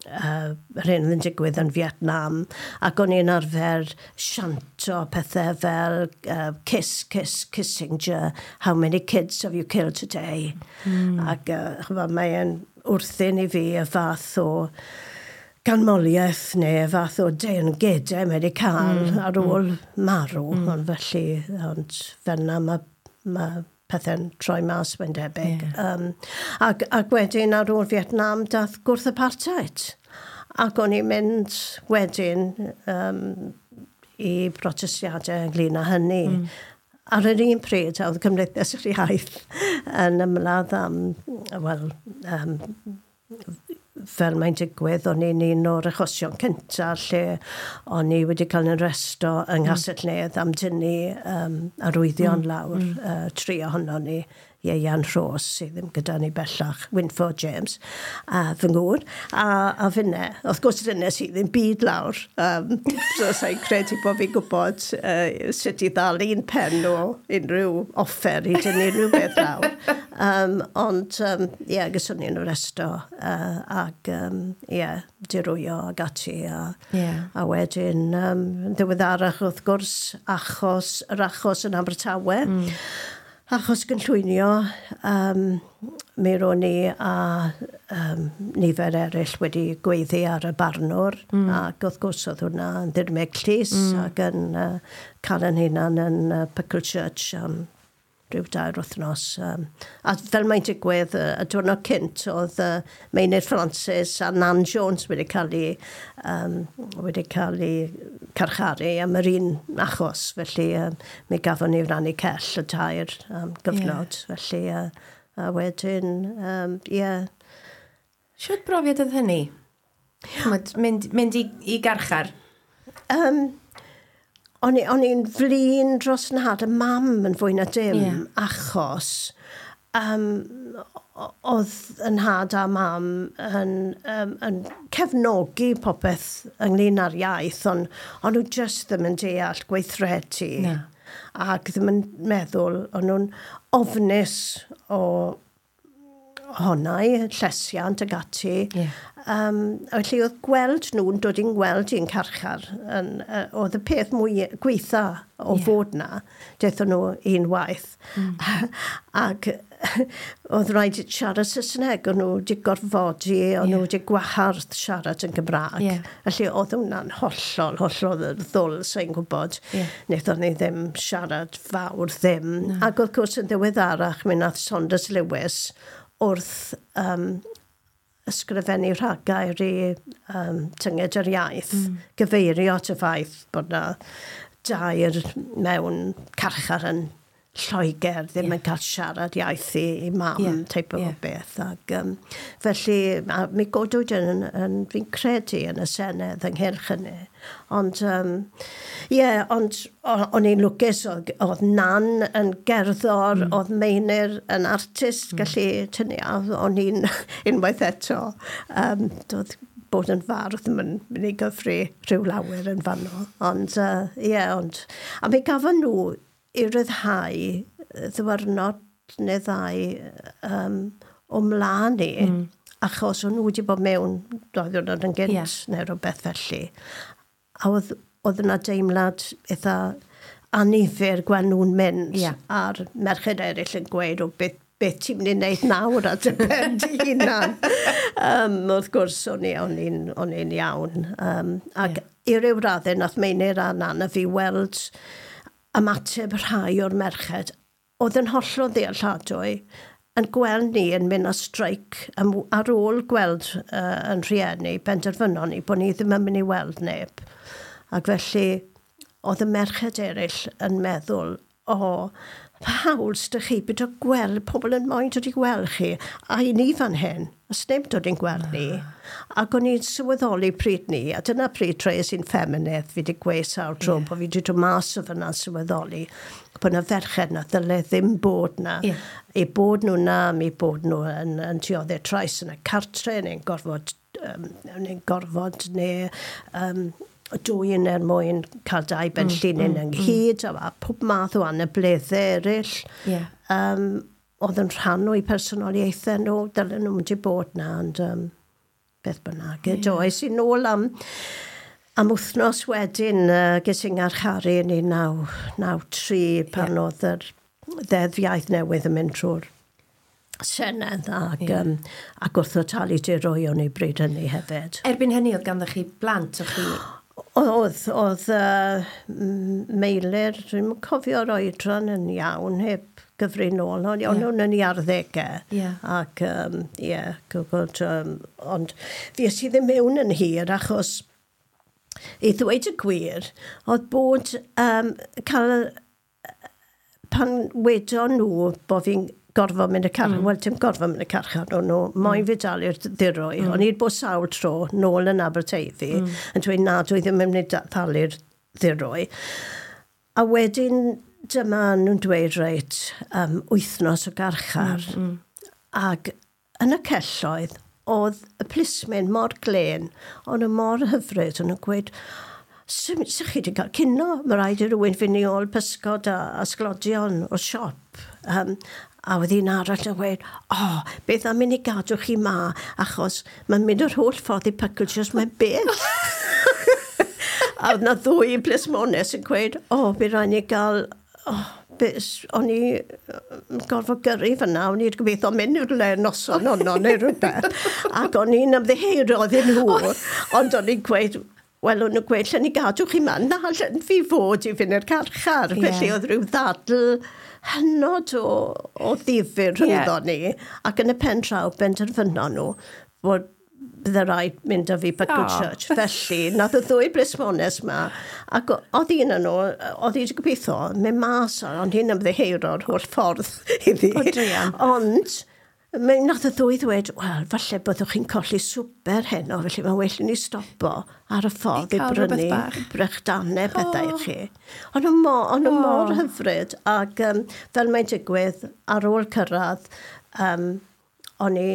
uh, yr hyn oedd yn digwydd yn Vietnam, ac o'n i'n arfer sianto pethau fel uh, kiss, kiss, Kissinger, how many kids have you killed today? Mm. Ac uh, ch'mod, mae'n wrthyn i fi y fath o ganmoliaeth neu y fath o deyrngedau mae wedi cael mm. ar ôl mm. marw, mm. ond felly, ond fel 'na mae ma pethau'n troi mas, mae'n debyg. Yeah. Um, ac, ac wedyn ar ôl Vietnam dath gwrth apartheid. Ac o'n i'n mynd wedyn um, i protestiadau ynglyn â hynny. Mm. Ar yr un pryd, oedd Cymdeithas yr Iaith yn ymladd am, wel, um, fel mae'n digwydd, o'n i'n un o'r achosion cyntaf lle o'n i wedi cael yn arresto yng Nghastell Nedd am dynnu um, arwyddion mm. lawr, mm. uh, tri ohono ni, Ieuan Rhos, sydd ddim gyda ni bellach, Wynford James, a fy ngŵr, a, a finne. Wrth gwrs, dyna sydd ddim byd lawr. Um, so sa'n credu bod fi'n gwybod uh, sut i ddal un pen o unrhyw offer i dynnu unrhyw beth lawr. Um, ond, ie, um, yeah, gyswn ni'n arresto uh, ac, um, ie, yeah, dirwyo ag ati. A, yeah. a wedyn, um, ddiweddarach, wrth gwrs, achos, yr achos yn Abertawe. Mm. Achos gynllwynio, um, mi ro'n i a um, nifer eraill wedi gweiddi ar y barnwr, mm. ac wrth gwrs oedd hwnna yn ddirmyg llys mm. ac yn uh, cael yn hunan yn uh, Pucklechurch am um, rhyw dair wythnos. Um, a fel mae'n digwydd, y, y diwrnod cynt oedd uh, Meinir Francis a Nan Jones wedi cael ei, um, wedi cael ei carcharu am yr un achos. Felly um, mi gafon ni rannu cell y tair um, gyfnod. Yeah. Felly, uh, a wedyn, um, yeah. Shwt brofiad oedd hynny? Ch'mod, mynd, mynd i, i garchar? Um, O'n i'n flin dros nhad y mam yn fwy na dim, yeah. achos um, oedd yn nhad a mam yn, um, yn cefnogi popeth ynglyn â'r iaith, ond on nhw just ddim yn deall gweithredu. Na. Ac ddim yn meddwl, o'n nhw'n ofnus o honau, llesiant ag ati. Yeah. Um, felly oedd gweld nhw'n dod i'n gweld i'n carchar, yn, uh, oedd y peth mwy gweitha o Yeah. fod na, daethon nhw un waith. Mm. Ac oedd rhaid siarad Saesneg, o'n nhw wedi gorfodi, o'n Yeah. nhw wedi gwahardd siarad yn Gymraeg. Yeah. Felly oedd hwnna'n hollol, hollol ddwl, sa'n gwybod. Yeah. Wnaethon ni ddim siarad fawr ddim. No. Ac wrth gwrs yn ddiweddarach, mi nath Saunders Lewis wrth um, ysgrifennu rhagair i um, Tynged yr Iaith, mm. gyfeirio at y ffaith bod na dair mewn carchar yn Lloegr ddim Ie. yn cael siarad iaith i, i mam, Ie, teip o ie. beth. Ac, um, felly, a mi godwyd yn, yn, fi'n credu yn y Senedd ynghylch hynny. Ond, um, ie, yeah, ond o- o'n i'n lwcus, oedd, oedd Nan yn gerddor, Mm. oedd Meinir yn artist, mm. gallu tynnu, a o'n i'n unwaith eto, um, doedd bod yn fardd ddim yn mynd i gyfri rhyw lawer yn fanno. Ond, ie, uh, yeah, ond... A mi gafon nhw i ryddhau ddiwrnod neu ddau um, o mlaen i, Mm. achos o'n nhw wedi bod mewn dau ddiwrnod yn gynt Ie. neu rhywbeth felly. A oedd, oedd yna deimlad eitha annifyr gweld nhw'n mynd Ie. a'r merched eraill yn gweud o beth, Beth ti'n mynd i wneud nawr ar dy ben dy hunan? um, wrth gwrs, o'n i, o'n i'n, o'n i'n iawn. Um, ac yeah. i ryw raddau, nath Meinir a Nana fi weld ymateb rhai o'r merched oedd yn hollol ddealladwy yn gweld ni yn mynd ar streic am, ar ôl gweld uh, yn rhieni, benderfynon ni bod ni ddim yn mynd i weld neb. Ac felly, oedd y merched eraill yn meddwl, o, oh, pa hawl s'da chi byd o gweld pobl yn moyn dod i gweld chi, a i ni fan hyn, os neb dod i'n gweld ni. Ac o'n i'n sylweddoli pryd ni, a dyna pryd troies i'n ffeminydd, fi wedi gweud sawl tro, yeah. bod fi wedi dod mas o fyna'n sylweddoli bod na ferched na ddyle ddim bod na. Yeah. Eu bod nhw na, mi bod nhw yn, yn dioddef trais yn y cartre, neu'n gorfod, um, neu'n gorfod, neu um, dwyn er mwyn cael dau benllinyn mm, mm, ynghyd, mm. a pob math o anableddau eraill. Yeah. Um, oedd yn rhan o'i personoliaethau nhw, dylen nhw wedi bod na, ond um, beth bynnag. Yeah. Do, es i nôl am, am wythnos wedyn, uh, ges i'n ngharcharu yn un naw naw tri pan yeah. oedd yr ddeddf iaith newydd yn mynd trwy'r Senedd ac, yeah. um, ac wrtho talu dirwyon i bryd hynny hefyd. Erbyn hynny oedd ganddo chi blant, o'ch chi... Oedd, oedd uh, Meilir, dwi'n cofio'r oedran yn iawn, heb gyfri nôl, ond yeah. nhw'n yn ei arddegau. Yeah. Ac, um, yeah, gwybod, um, ond fi es i ddim mewn yn hir, achos i ddweud y gwir, oedd bod um, cael, pan wedon nhw bod fi'n gorfod mynd y carchar, mm. wel, dim gorfod mynd y carchar, o'n nhw, moyn mm. fi dalu'r ddirwy. Mm. O'n i'n bod sawl tro nôl yn Aberteifi, mm. yn dweud na, dwi ddim yn mynd i dalu'r ddirwy. A wedyn dyma nhw'n dweud, reit, um, wythnos o garchar. Mm. Mm. Ac yn y celloedd, oedd y plismyn mor glên, o'n nhw mor hyfryd, o'n nhw'n gweud, Sut chi wedi cael cino? Mae rhaid i rywun fynd i ôl pysgod a, a sglodion o'r siop. Um, a oedd un arall yn gweud, o, oh, beth am mynd i gadw chi ma, achos mae'n mynd yr holl ffordd i Pucklechurch, mae'n bell. A oedd na ddwy plismones yn gweud, o, oh, bydd rhaid ni gael, oh, o'n i gorfod gyrru fyna, o'n i'n gobeithio mynd i'r le noson honno neu rhywbeth. Ac o'n i'n ymddiheuro iddyn nhw, ond o'n i'n gweud, wel, o'n nhw'n gweud, lle ni gadw chi ma? Na, lle fi fod i fynd i'r carchar. Yeah. Felly oedd rhyw ddadl hynod o, o ddifyr rhyngddo yeah. ni. Ac yn y pen draw, benderfynon nhw bod bydde rhaid mynd â fi Pucklechurch. Oh. Felly, nath y ddwy blismones ma, ac oedd un yn nhw, oedd hi wedi gobeithio, mynd mas ar, ond hi'n ymddiheuro'r holl ffordd iddi. O, druan. Ond, mae nath y ddwy ddweud, wel, falle byddwch chi'n colli swper heno, felly mae'n well i ni stopo ar y ffordd I i cael rhywbeth brynu bach. brechdanau pethau Oh. i chi. Ond nhw mor, o'n nhw Oh. mor hyfryd, ac um, fel mae'n digwydd, ar ôl cyrraedd, um, o'n i,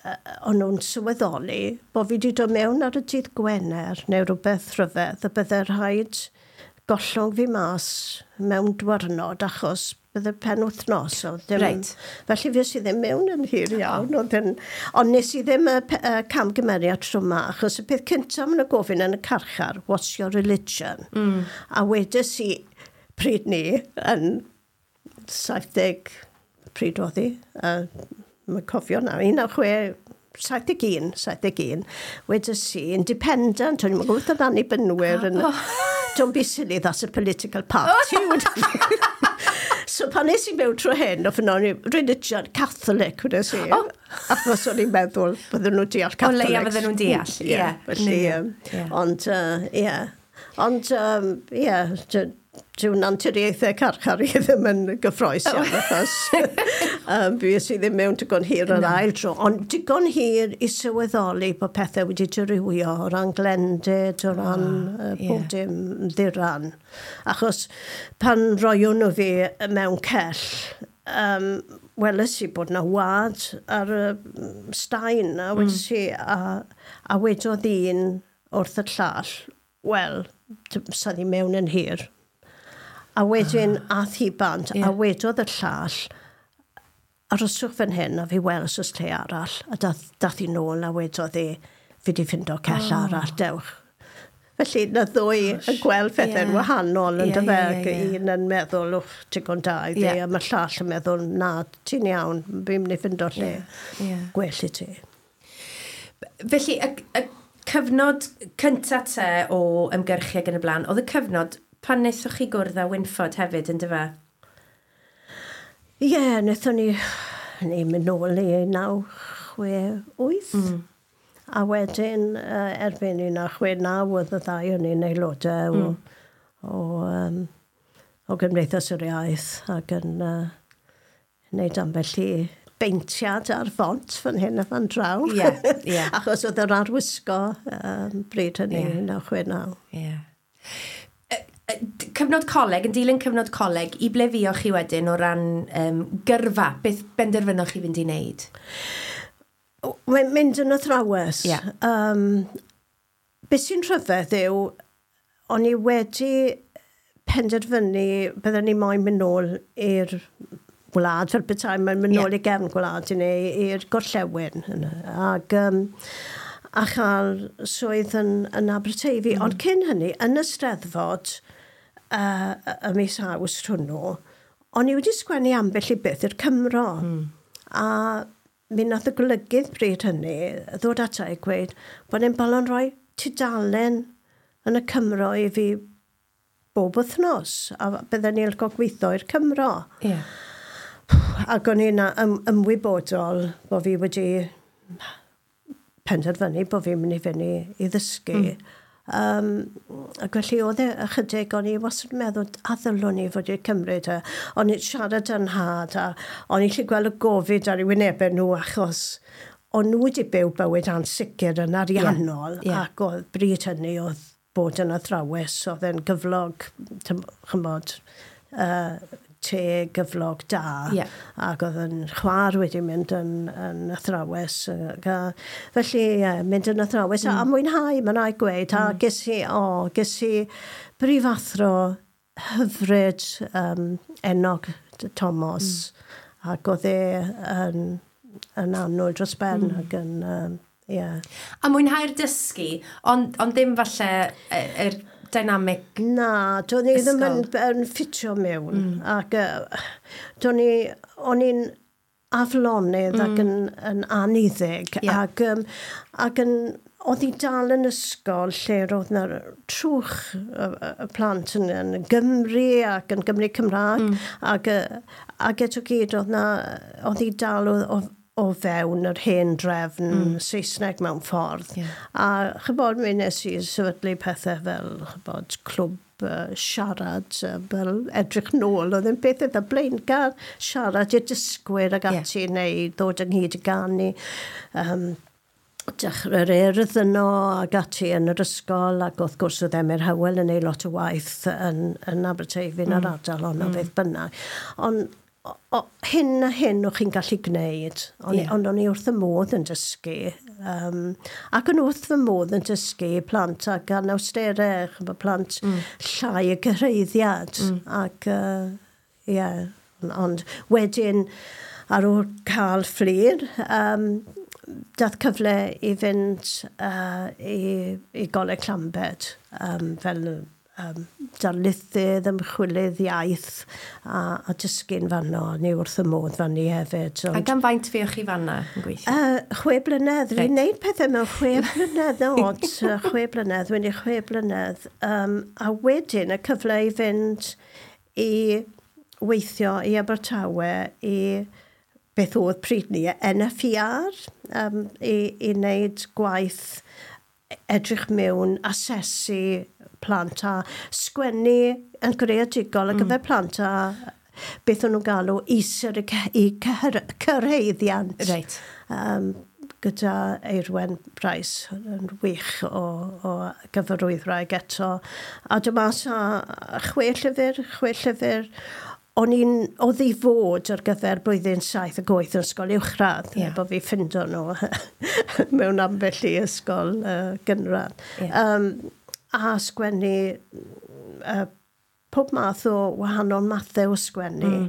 uh, o'n nhw'n sylweddoli bod fi wedi dod mewn ar y dydd Gwener neu rhywbeth rhyfedd, a bydde rhaid gollwng fi mas mewn dwrnod achos bydde pen wythnos. Oedd ddim, Reit. Felly fues i ddim mewn yn hir iawn. Oedd yn, ond nes i ddim y, y camgymeriad tro yma, achos y peth cyntaf maen nhw'n gofyn yn y carchar, what's your religion? Mm. A wedes i pryd ni yn saith deg, pryd oedd hi, uh, mae'n cofio nawr, un naw chwe, saith deg un, saith deg un, wedes i, independent, o'n i'n gwybod oedd annibynwyr yn... Don't be silly, that's a political party. So pan nes i mewn trwy hyn, oedd o'n religion Catholic, wedes i. Oh. Achos o'n i'n meddwl bydden nhw'n deall O Catholics. leia fydden nhw'n deall, Ie, ie. Felly, Ie. um, Ie. ond, uh, ie. Ond, um, ie, dyw anturiaethau carchar i ddim yn gyffrous iawn, achos um, fues i ddim mewn digon hir yr ail tro, ond digon hir i sylweddoli bod pethau wedi dirywio o ran glendid, o ran uh, ie. pob dim ddiran. Achos pan roion nhw fi mewn cell, um, weles i bod na wad ar y staen, a wedes i, a, a wedodd un wrth y llall, wel, sa ddi mewn yn hir. A wedyn ah, ath hi bant, Ie. yeah. a wedodd y llall, aroswch fan hyn a fi weld os oes lle arall. A dath, dath hi nôl a wedodd hi, fi di ffindo cell oh. arall, dewch. Felly, na ddwy yn gweld pethau'n Ie. wahanol yn Ie, dyfe, ie, ac ie, ie. un yn meddwl, wff, digon da i fi, Ie. a mae'r llall yn meddwl, na, ti'n iawn, fi'n mynd i ffindo lle Ie, ie. gwell i ti. Felly, y, y cyfnod cynta te o ymgyrchu ac yn y blaen, oedd y cyfnod pan wnaethoch chi gwrdd â Wynford hefyd, yn dyfe? Ie, yeah, wnaethon ni, ni mynd nôl i naw chwe wyth. Mm. A wedyn, uh, erbyn un naw chwe naw, oedd y ddau o'n i'n aelodau mm. o, o, um, o Gymdeithas yr Iaith ac yn uh, wneud ambell i beintiad ar font fan hyn a fan draw. Ie, ie. Achos oedd yr arwisgo um, bryd hynny, Ie. un naw chwe naw. Ie. Cyfnod coleg, yn dilyn cyfnod coleg, i ble fuoch chi wedyn o ran um, gyrfa? Beth benderfynoch chi fynd i wneud? Mae'n mynd yn athrawes. Ie. Um, beth sy'n rhyfedd yw, o'n i wedi penderfynu bydden ni moyn mynd nôl i'r wlad, fel petai, mae'n mynd Ie. nôl i gefn gwlad i neu i'r gorllewin. Yna. Ac, um, a chael swydd yn, yn Aberteifi. Mm. Ond cyn hynny, yn y Steddfod, uh, y mis Awst hwnnw, o'n i wedi sgwennu ambell i beth i'r Cymro. Mm. A mi nath y golygydd bryd hynny ddod ata i gweud bod e'n bolon rhoi tudalen yn y Cymro i fi bob wythnos, a bydden ni'n licio gweithio i'r Cymro. Ie. Ac o'n i'n ym, ymwybodol bod fi wedi penderfynu bod fi'n mynd i fynd i, i ddysgu. Mm. Um, ac felly oedd e ychydig, o'n i wastad yn meddwl, a ddylwn i fod i'n cymryd e. O'n i'n siarad yn nhad, a o'n i'n gallu gweld y gofid ar eu wynebau nhw achos o'n nhw wedi byw bywyd ansicr yn ariannol, Ie, ie. ac oedd bryd hynny oedd bod yn athrawes, oedd e'n gyflog, tym- chymod, uh, te gyflog da. Ie. Ac oedd yn chwaer wedi mynd yn, yn athrawes. Ac, a, felly, ie, mynd yn athrawes. Mm. A, a mwynhau, mae'n rhaid gweud. Mm. A ges i, o, ges i brifathro hyfryd um, Enog Thomas. Mm. Ac oedd e yn, yn annwyl dros ben mm. ac yn, um, ie. A mwynhau'r dysgu, ond, ond ddim falle y- yr dynamic. Na, do'n i ddim yn, Ysgol. yn ffitio mewn. Mm. Ac uh, do'n i, o'n i'n aflonydd mm. ac yn, yn anniddig. Ie. Ac, um, ac yn, oedd hi dal yn ysgol lle roedd yna trwch y, y, y plant yn, yn Gymru ac yn Gymru Cymraeg. Mm. Ac, yy, ac eto gyd oedd na, oedd hi dal o, o, o fewn yr hen drefn mm. Saesneg mewn ffordd. Ie. A chybod, mi nes i sefydlu pethau fel, chybod, clwb uh, siarad, uh, fel edrych nôl, oedd yn beth eitha blaengar, siarad i'r dysgwyr ac Ie. ati, neu ddod ynghyd i ganu. Um, dechrau'r urdd yno ac ati yn yr ysgol, ac wrth gwrs oedd Emyr Howell yn ei lot o waith yn, yn Aberteifi yn yr ardal honno mm. beth bynnag. Ond o, o, hyn a hyn o'ch chi'n gallu gwneud, ond Ie. yeah. ond o'n i wrth y modd yn dysgu. Um, ac yn wrth fy modd yn dysgu plant ac anawsterau, ch'mod, plant mm. llai y gyhraeddiad. Mm. Ac, uh, ie, yeah, ond wedyn, ar ôl cael Fflur, um, dath cyfle i fynd uh, i, i Goleg Llambed um, fel um, darlithydd, ymchwilydd iaith a, a dysgu'n fanno. Ni wrth y modd fan ni hefyd. A gan faint fuoch chi fanna yn gweithio? Uh, chwe blynedd. Reit. Fi'n neud pethau mewn chwe blynedd, od. Yy, chwe blynedd, wedi chwe blynedd. Um, a wedyn y cyfle i fynd i weithio i Abertawe i beth oedd pryd ni, N F E R, um, i, i wneud gwaith edrych mewn, asesu plant a sgwennu yn greadigol ar gyfer mm. plant a beth o'n nhw'n galw isir y cy- i cyhyr- cyrhaeddiant. Reit. Um, gyda Eirwen Price yn wych o, o gyfarwyddwraig eto. A dyma sa chwe llyfr, chwe llyfr. O'n i'n, oedd i fod ar gyfer blwyddyn saith ac wyth yn ysgol uwchradd, Ie. yeah. bod fi ffindo nhw mewn ambell i ysgol uh, gynradd. Ie. Um, a sgwennu uh, pob math o wahanol mathau o sgwennu. Mm.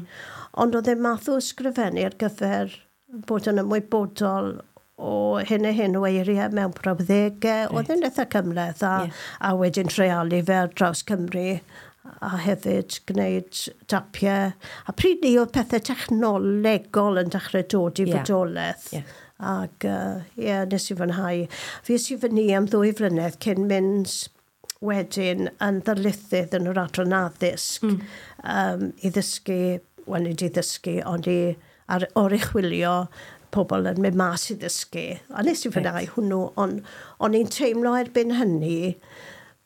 Ond oedd e math o ysgrifennu ar gyfer bod yn ymwybodol o hyn a hyn o eiriau mewn brawddegau. Right. Oedd yn eitha cymhleth a, yeah. a wedyn treialu fe ar draws Cymru a hefyd gwneud tapiau. A pryd ni oedd pethau technolegol yn dechrau dod i yeah. fodolaeth. Yeah. Ac uh, yeah, nes i fwynhau. Fi i fyny am ddwy flynedd cyn mynd wedyn yn ddarlithydd yn yr adran addysg mm. um, i ddysgu, wel nid i ddysgu, ond i ar, oruchwylio pobl yn mynd mas i ddysgu. A nes i fwynhau right. hwnnw, ond o'n i'n teimlo erbyn hynny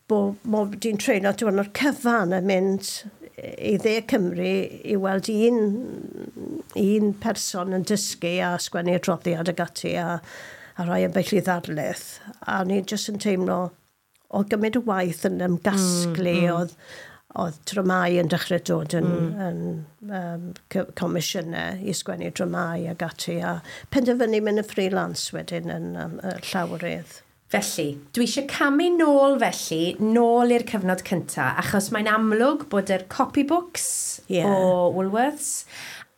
bod mod i'n treulio diwrnod cyfan yn mynd i dde Cymru i weld un, un person yn dysgu a sgwennu adroddiad ag ati a, a rhai ambell i ddarlith. A o'n i'n jyst yn teimlo oedd gymaint o waith yn ymgasglu, mm, mm. oedd, oedd dramau yn dechrau dod yn, mm. yn um, comisiynau i sgwennu dramau ag ati, a penderfynu mynd yn freelance wedyn yn um, llawrydd. Felly, dwi eisiau camu nôl felly, nôl i'r cyfnod cynta, achos mae'n amlwg bod yr copybooks yeah. o Woolworths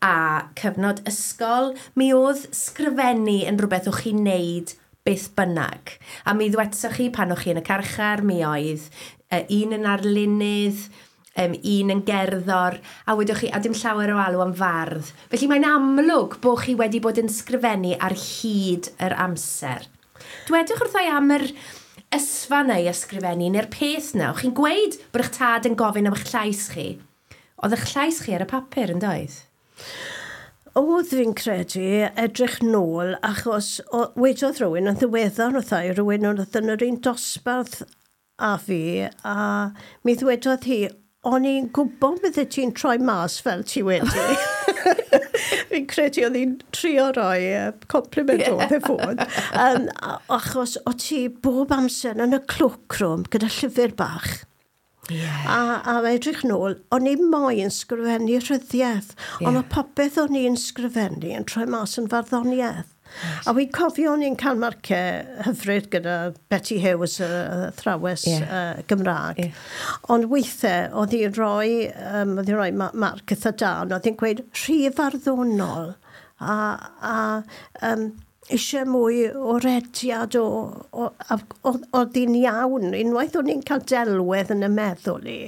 a cyfnod ysgol, mi oedd sgrifennu yn rhywbeth o'ch chi'n neud beth bynnag. A mi ddwetsoch chi pan o'ch chi yn y carchar, mi oedd uh, un yn arlunydd, um, un yn gerddor, a wedwch chi, a dim llawer o alw am fardd. Felly mae'n amlwg bod chi wedi bod yn sgrifennu ar hyd yr amser. Dwedwch wrtha i am yr ysfa 'na i ysgrifennu, neu'r peth 'na. O'ch chi'n gweud bod eich tad yn gofyn am eich llais chi. Oedd eich llais chi ar y papur yn doedd? Oedd, fi'n credu, edrych nôl, achos o, wedodd rhywun yn ddiweddar wrtha i, rhywun oedd yn yr un dosbarth a fi, a mi ddwedodd hi, o'n i'n gwybod bydde ti'n troi mas fel ti wedi. Fi'n credu oedd hi'n trio roi uh, compliment yeah. oedd e fod. Um, achos o ti bob amser yn y cloakroom gyda llyfr bach. Yeah. A, a edrych nôl, o'n i moyn sgrifennu rhyddiaeth, yeah. ond oedd popeth o'n i'n sgrifennu yn troi mas yn farddoniaeth. Right. A wy'n cofio o'n i'n cael marciau hyfryd gyda Betty Hughes, y athrawes yeah. uh, Gymraeg. Yeah. Ond weithiau, oedd hi'n rhoi, um, oedd hi'n rhoi marc eitha da, ond oedd hi'n gweud rhy farddonol a, a um, eisiau mwy o rediad o, o, o, oedd hi'n iawn. Unwaith o'n i'n cael delwedd yn y meddwl i,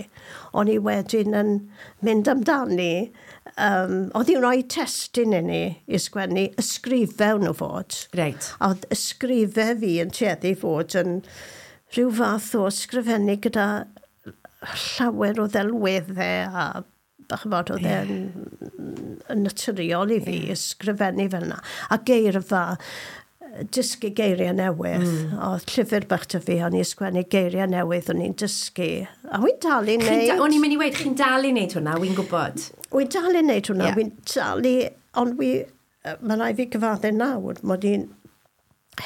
o'n i wedyn yn mynd amdani. Um, oedd hi'n rhoi testun i ni i sgwennu ysgrifau nhw fod. Reit. A oedd ysgrifau fi yn tueddu fod yn rhyw fath o ysgrifennu gyda llawer o ddelweddau a ch'mod, oedd e'n yn naturiol i fi yeah. ysgrifennu fel yna. A geirfa, dysgu geiriau newydd. Mm. Oedd llyfr bach 'da fi, o'n i ysgrifennu geiriau newydd, o'n i'n dysgu. A wy'n dal i wneud. O'n i'n mynd i weud, chi'n dal i wneud hwnna, wy'n gwybod. Wy'n dal i wneud hwnna, yeah. wy'n dal i, ond wi, mae rhaid fi gyfadde nawr, mod i'n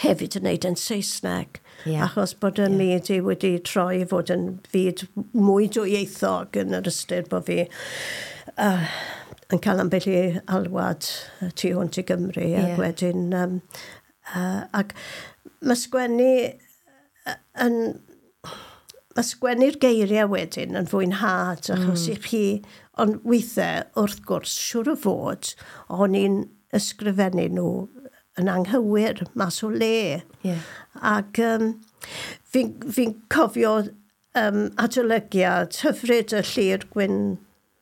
hefyd yn wneud yn Saesneg. Yeah. Achos bod y yeah. myd i wedi troi i fod yn fyd mwy dwyieithog yn yr ystyr bod fi uh, yn cael ambell i alwad tu hwnt i Gymru. Yeah. Ac wedyn, um, uh, ac mae sgwennu yn... Mae sgwennu'r geiriau wedyn yn fwynhad, achos mm. i chi, ond weithiau, wrth gwrs, siŵr o fod, o'n i'n ysgrifennu nhw yn anghywir, mas o le. Yeah. Ac um, fi'n fi cofio um, adolygiad hyfryd y Llyr Gwyn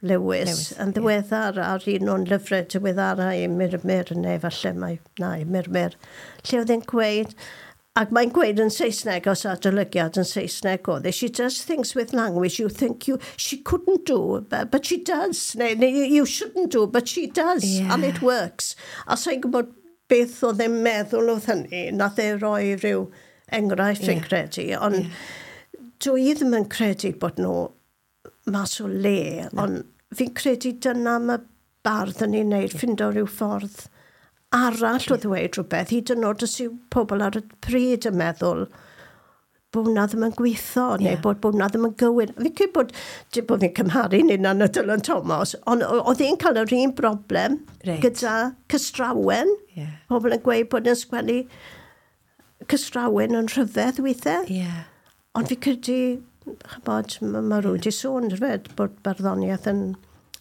Lewis, Lewis yn ddiweddar yeah. ar un o'n lyfrau diweddara i Murmur, neu falle mae, na, i Murmur, lle oedd e'n gweud, ac mae'n gweud yn Saesneg, os adolygiad yn Saesneg oedd e, she does things with language you think you, she couldn't do, but, but she does, neu, neu you shouldn't do, but she does, yeah. and it works. A sa'n gwybod beth oedd e'n meddwl oedd hynny, nath e roi rhyw enghraifft yeah. fi'n credu, ond yeah. dwi ddim yn credu bod nhw mas o le, no. ond fi'n credu dyna mae bardd yn ei wneud, yeah. ffindo rhyw ffordd arall o ddweud rhywbeth, hyd yn oed os yw pobl ar y pryd yn meddwl bod hwnna ddim yn gweithio, neu yeah. bod hwnna ddim yn gywir. Fi'n credu bod, dim bod fi'n cymharu'n hunan â Dylan Thomas, ond oedd hi'n cael yr un broblem right. gyda cystrawen. Yeah. Pobl yn gweud bod yn sgwennu cystrawen yn rhyfedd weithiau. Yeah. Ond fi'n credu, ch'mod, mae ma rhywun wedi sôn rhywbeth bod barddoniaeth yn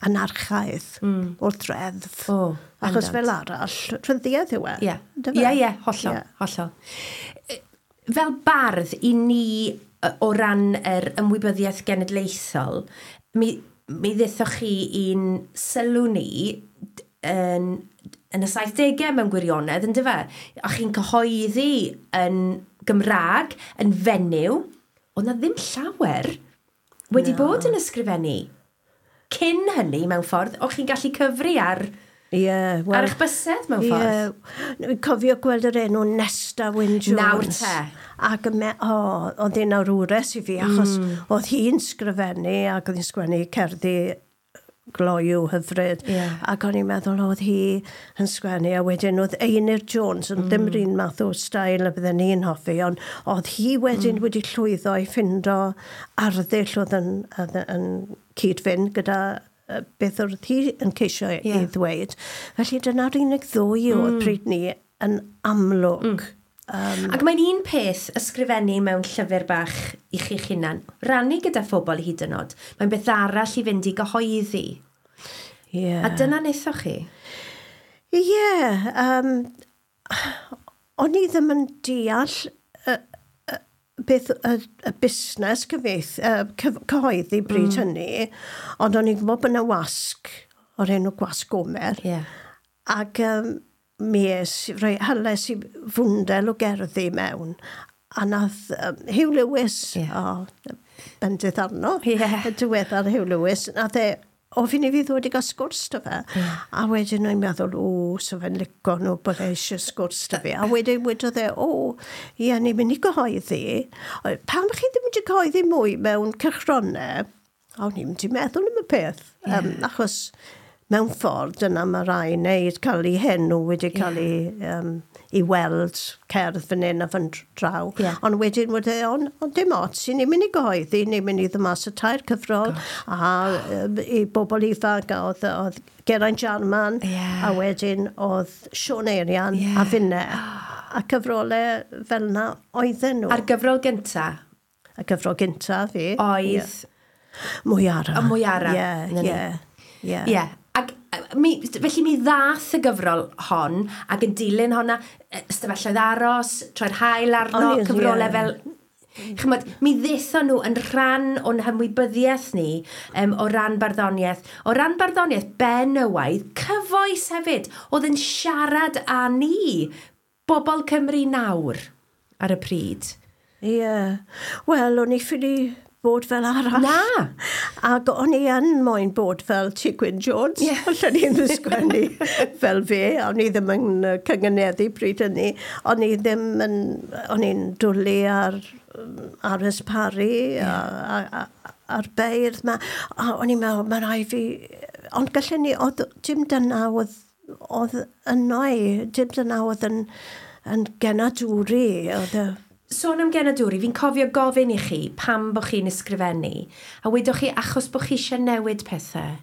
anarchaidd mm. wrth reddf. Oh. Achos fel arall, rhyddiaeth yw e. Ie, ie, ie, hollol, yeah. hollol. Fel bardd i ni o ran yr ymwybyddiaeth genedlaethol, mi, mi ddethoch chi i'n sylw ni yn, yn y saithdegau mewn gwirionedd, yn dyfe? A chi'n cyhoeddi yn Gymraeg, yn fenyw, oedd na ddim llawer wedi no. bod yn ysgrifennu. Cyn hynny, mewn ffordd, o'ch chi'n gallu cyfri ar... Yeah, well, ar eich bysedd mewn ffordd. Yeah. Dwi'n cofio gweld yr enw Nesta Wyn Jones. Nawr te. Ac me, o, oedd hi'n awrwres i fi, achos mm. oedd hi'n sgrifennu ac oedd hi'n sgwennu cerddi gloyw hyfryd. Yeah. Ac o'n i'n meddwl oedd hi yn sgwennu, a wedyn oedd Einir Jones, yn mm. ddim yr un math o stael y bydden ni'n hoffi, ond oedd hi wedyn mm. wedi llwyddo i ffindo arddull oedd yn, yn, yn cyd-fynd gyda beth oedd hi yn ceisio yeah. i ddweud. Felly dyna'r unig ddwy oedd mm. pryd ni yn amlwg. Mm. Um, Ac mae'n un peth ysgrifennu mewn llyfr bach i chi'ch hunan, rannu gyda phobl hyd yn oed. Mae'n beth arall i fynd i gyhoeddi. Yeah. A dyna wnaethoch chi? Ie. Yeah, um, o'n i ddim yn deall uh, uh, beth y, y busnes cyfieith, uh, cyf cyhoeddi bryd mm. hynny, ond o'n i'n gwybod bod yna wasg o'r enw Gwasg Gomer. Yeah. Ac um, mi es, rhoi hyles i fwndel o gerddi mewn, a nath um, Huw Lewis, yeah. o, bendith arno, yeah. y diweddar Huw Lewis, nath e ofyn i fi ddod i gael sgwrs 'da fe. Yeah. A wedyn o'n i'n meddwl, o, so fe'n lico nhw bod e eisiau sgwrs 'da fi. A wedyn wedodd e, o, ie, ni'n mynd i gyhoeddi. Pam chi ddim wedi cyhoeddi mwy mewn cylchgronau? A o'n i'n mynd i meddwl am y peth. Yeah. Um, achos mewn ffordd, dyna mae rai wneud, cael ei henw wedi cael ei, um, i weld cerdd fan hyn a fan draw. Yeah. Ond wedyn wedi, ond on dim ots, ni'n mynd i gyhoeddi, ni'n mynd i ddod mas y tair cyfrol, Gosh. a um, i bobl ifanc, a oedd, oedd Geraint Jarman, yeah. a wedyn oedd Siôn Eirian yeah. a finne. A cyfrolau fel yna oedden nhw. A'r gyfrol gynta? Y gyfrol gynta fi. Oedd? Yeah. Mwy ara. Y mwy ara. Ie, ie. Ie. Yeah. Ac mi, felly mi ddath y gyfrol hon, ac yn dilyn honna, ystafelloedd aros, troi'r haul arno, cyfrolau yeah. fel... Chymod, mi ddethon nhw yn rhan o'n hymwybyddiaeth ni um, o ran barddoniaeth. O ran barddoniaeth benywaidd, cyfoes hefyd, oedd yn siarad â ni, bobl Cymru nawr ar y pryd. Ie. Yeah. Wel, o'n i ffili bod fel arall. Na! Ac o'n i yn moyn bod fel Ti Gwyn Jones. Yeah. Allen i ddim sgwennu fel fe. O'n i ddim yn cynganeddu pryd hynny. O'n i ddim yn... O'n i'n dwlu ar R S Parry, yeah. a, a, a, a'r beirdd ma. A o'n i'n meddwl, mae rhaid fi... Ond gallen ni, oedd dim dyna oedd, oedd yno i, dim dyna oedd yn, yn genadwri. Oedd y... Sôn am genadwri, fi'n cofio gofyn i chi pam bod chi'n ysgrifennu, a wedoch chi achos bod chi eisiau newid pethau.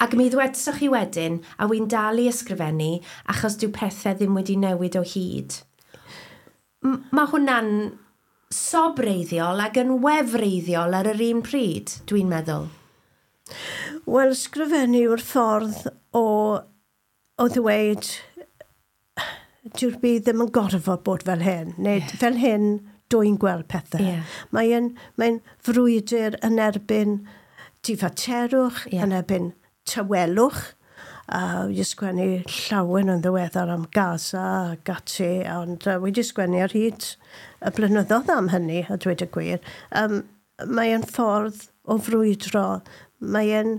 Ac mi ddwedsoch chi wedyn, a wy'n dal i ysgrifennu, achos dyw pethau ddim wedi newid o hyd. M- mae hwnna'n sobreiddiol ac yn wefreiddiol ar yr un pryd, dwi'n meddwl. Wel, ysgrifennu yw'r ffordd o, o ddweud dyw'r byd ddim yn gorfod bod fel hyn, neu yeah. fel hyn dwi'n gweld pethau. Yeah. Mae'n mae frwydr yn erbyn difaterwch, yeah. yn erbyn tawelwch. Uh, wedi sgwennu llawen yn ddiweddar am Gaza ac ati, ond uh, wedi sgwennu ar hyd y blynyddoedd am hynny, a dweud y gwir. Um, mae'n ffordd o frwydro, mae'n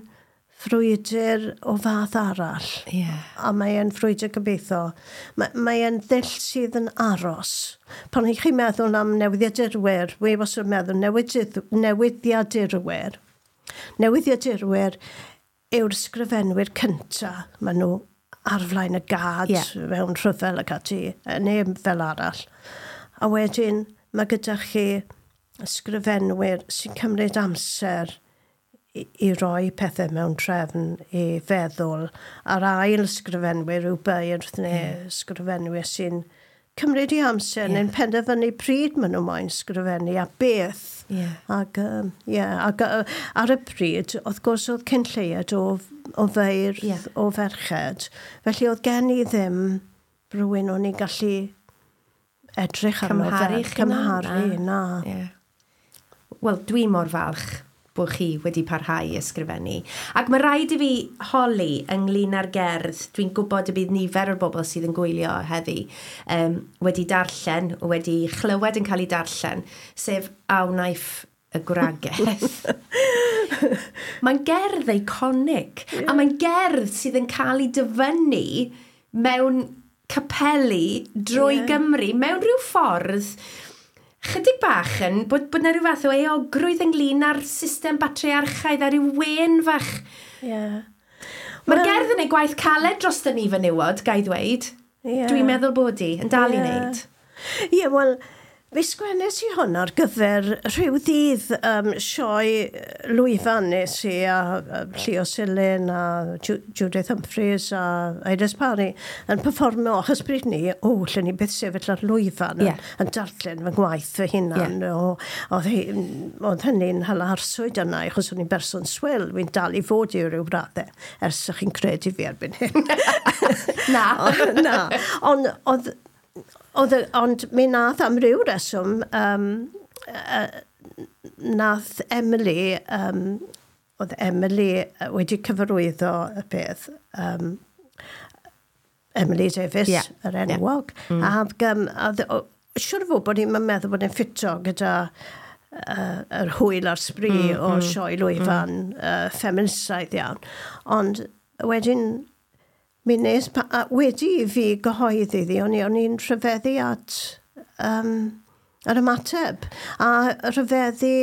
frwydr o fath arall. Yeah. A mae'n frwydr gobeithio. Mae, mae'n ddull sydd yn aros. Pan ych chi'n meddwl am newyddiadurwyr, wi wastad yn meddwl newyddiadurwyr. Newyddiadurwyr yw'r sgrifenwyr cynta. Maen nhw ar flaen y gad yeah. mewn rhyfel ac ati, neu fel arall. A wedyn mae gyda chi ysgrifenwyr sy'n cymryd amser i, i roi pethau mewn trefn i feddwl. A'r ail ysgrifenwyr yw beirdd neu yeah. ysgrifenwyr sy'n cymryd i amser yeah. neu'n penderfynu pryd maen nhw moyn sgrifennu a beth. Yeah. Ac, um, yeah, ac uh, ar y pryd, wrth gwrs oedd cyn lleied o, o feirdd, yeah. o ferched. Felly oedd gen i ddim rhywun o'n i'n gallu edrych arno Cymharu fel. Cymharu, na. Yeah. Wel, dwi mor falch bod chi wedi parhau i ysgrifennu. Ac mae rhaid i fi holi ynglyn â'r gerdd. Dwi'n gwybod y bydd nifer o'r bobl sydd yn gwylio heddi um, wedi darllen, wedi chlywed yn cael ei darllen, sef A Wnaiff y Gwragedd. Mae'n gerdd eiconig, Yeah. a mae'n gerdd sydd yn cael ei dyfynnu mewn capeli drwy Ie. Gymru, mewn rhyw ffordd chydig bach yn bod, bod 'na rhyw fath o euogrwydd ynglyn â'r system batriarchaidd a rhyw wen fach. Yeah. Mae'r Wel- gerdd yn ei gwaith caled dros ni fenywod, ga i ddweud. Ie. Dwi'n meddwl bod hi yn dal i Ie. wneud. Ie, wel, fe sgwennes i hwn ar gyfer rhyw ddydd um, sioe lwyfan nes i a, a Llio Silyn a Ju Judith Humphreys a Iris Parry yn performio achos bryd ni, o, lle ni byth sefyll ar lwyfan Ie. yn, yn darllen fy ngwaith fy hunan. Ie. O, oedd, hi- oedd hynny'n hala arswyd yna, achos o'n i'n berson swil, wy'n dal i fod i ryw raddau, ers ych chi'n credu fi erbyn hyn. Na. O, na, ond oedd, oedd, y- ond mi nath am ryw reswm, um, uh, nath Emily, um, oedd Emily yy, wedi cyfarwyddo y peth, um, Emily Davies, Ie, yr ie. enwog. Mm. Ac, um, a dd- o- siŵr o fod bod hi'n meddwl bod hi'n ffito gyda uh, yr hwyl a'r sbri mm, o mm, sioe lwyfan mm. uh, feministaidd iawn. Ond wedyn, mi nes, pa, a wedi i fi gyhoeddi iddi, o'n i- o'n i'n rhyfeddu at um, yr ymateb. A rhyfeddu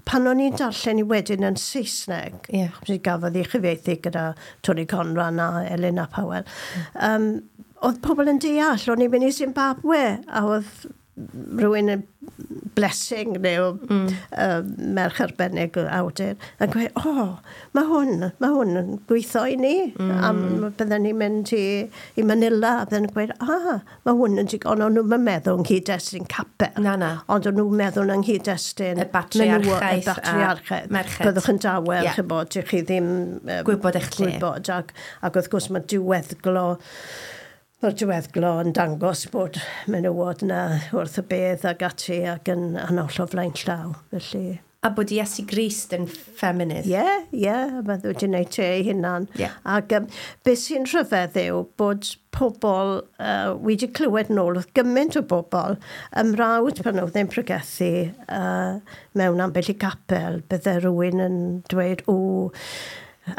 pan o'n i'n darllen i wedyn yn Saesneg, Ie. yeah. gafodd ei chyfieithu gyda Tony Conran a Elena Powell, um, oedd pobl yn deall, o'n i'n mynd i Zimbabwe, a oedd rhywun yn blessing neu mm. uh, merch arbennig o awdur yn gweud, o, oh, mae hwn, mae hwn yn gweithio i ni. Mm. A bydden ni'n mynd i, i Manila, a bydden ni'n gweud, ah, mae hwn yn digon, ond o'n nhw'n meddwl yng nghyd-destun capel. Na, na. Ond o'n nhw'n meddwl yng nghyd-destun Y batriarchaeth menywod, y batriarchaeth. a merched. Byddwch yn dawel, Ie. yeah. chybod, dych chi ddim... Um, Gwybod eich lle. Gwybod, ac, ac wrth gwrs mae diweddglo, mae'r diweddglo yn dangos bod menywod yna wrth y bedd ac ati ac yn anoll o flaen llaw. Felly, A bod Iesu Grist yn ffeminydd. ie, yeah, ie, yeah, mae wedi gwneud te ei hunan. Ie. Ac um, beth sy'n rhyfedd yw bod pobl uh, wedi clywed nôl wrth gymaint o bobl ymrawd pan oedd e'n pregethu uh, mewn ambell i gapel, bydde rhywun yn dweud, o,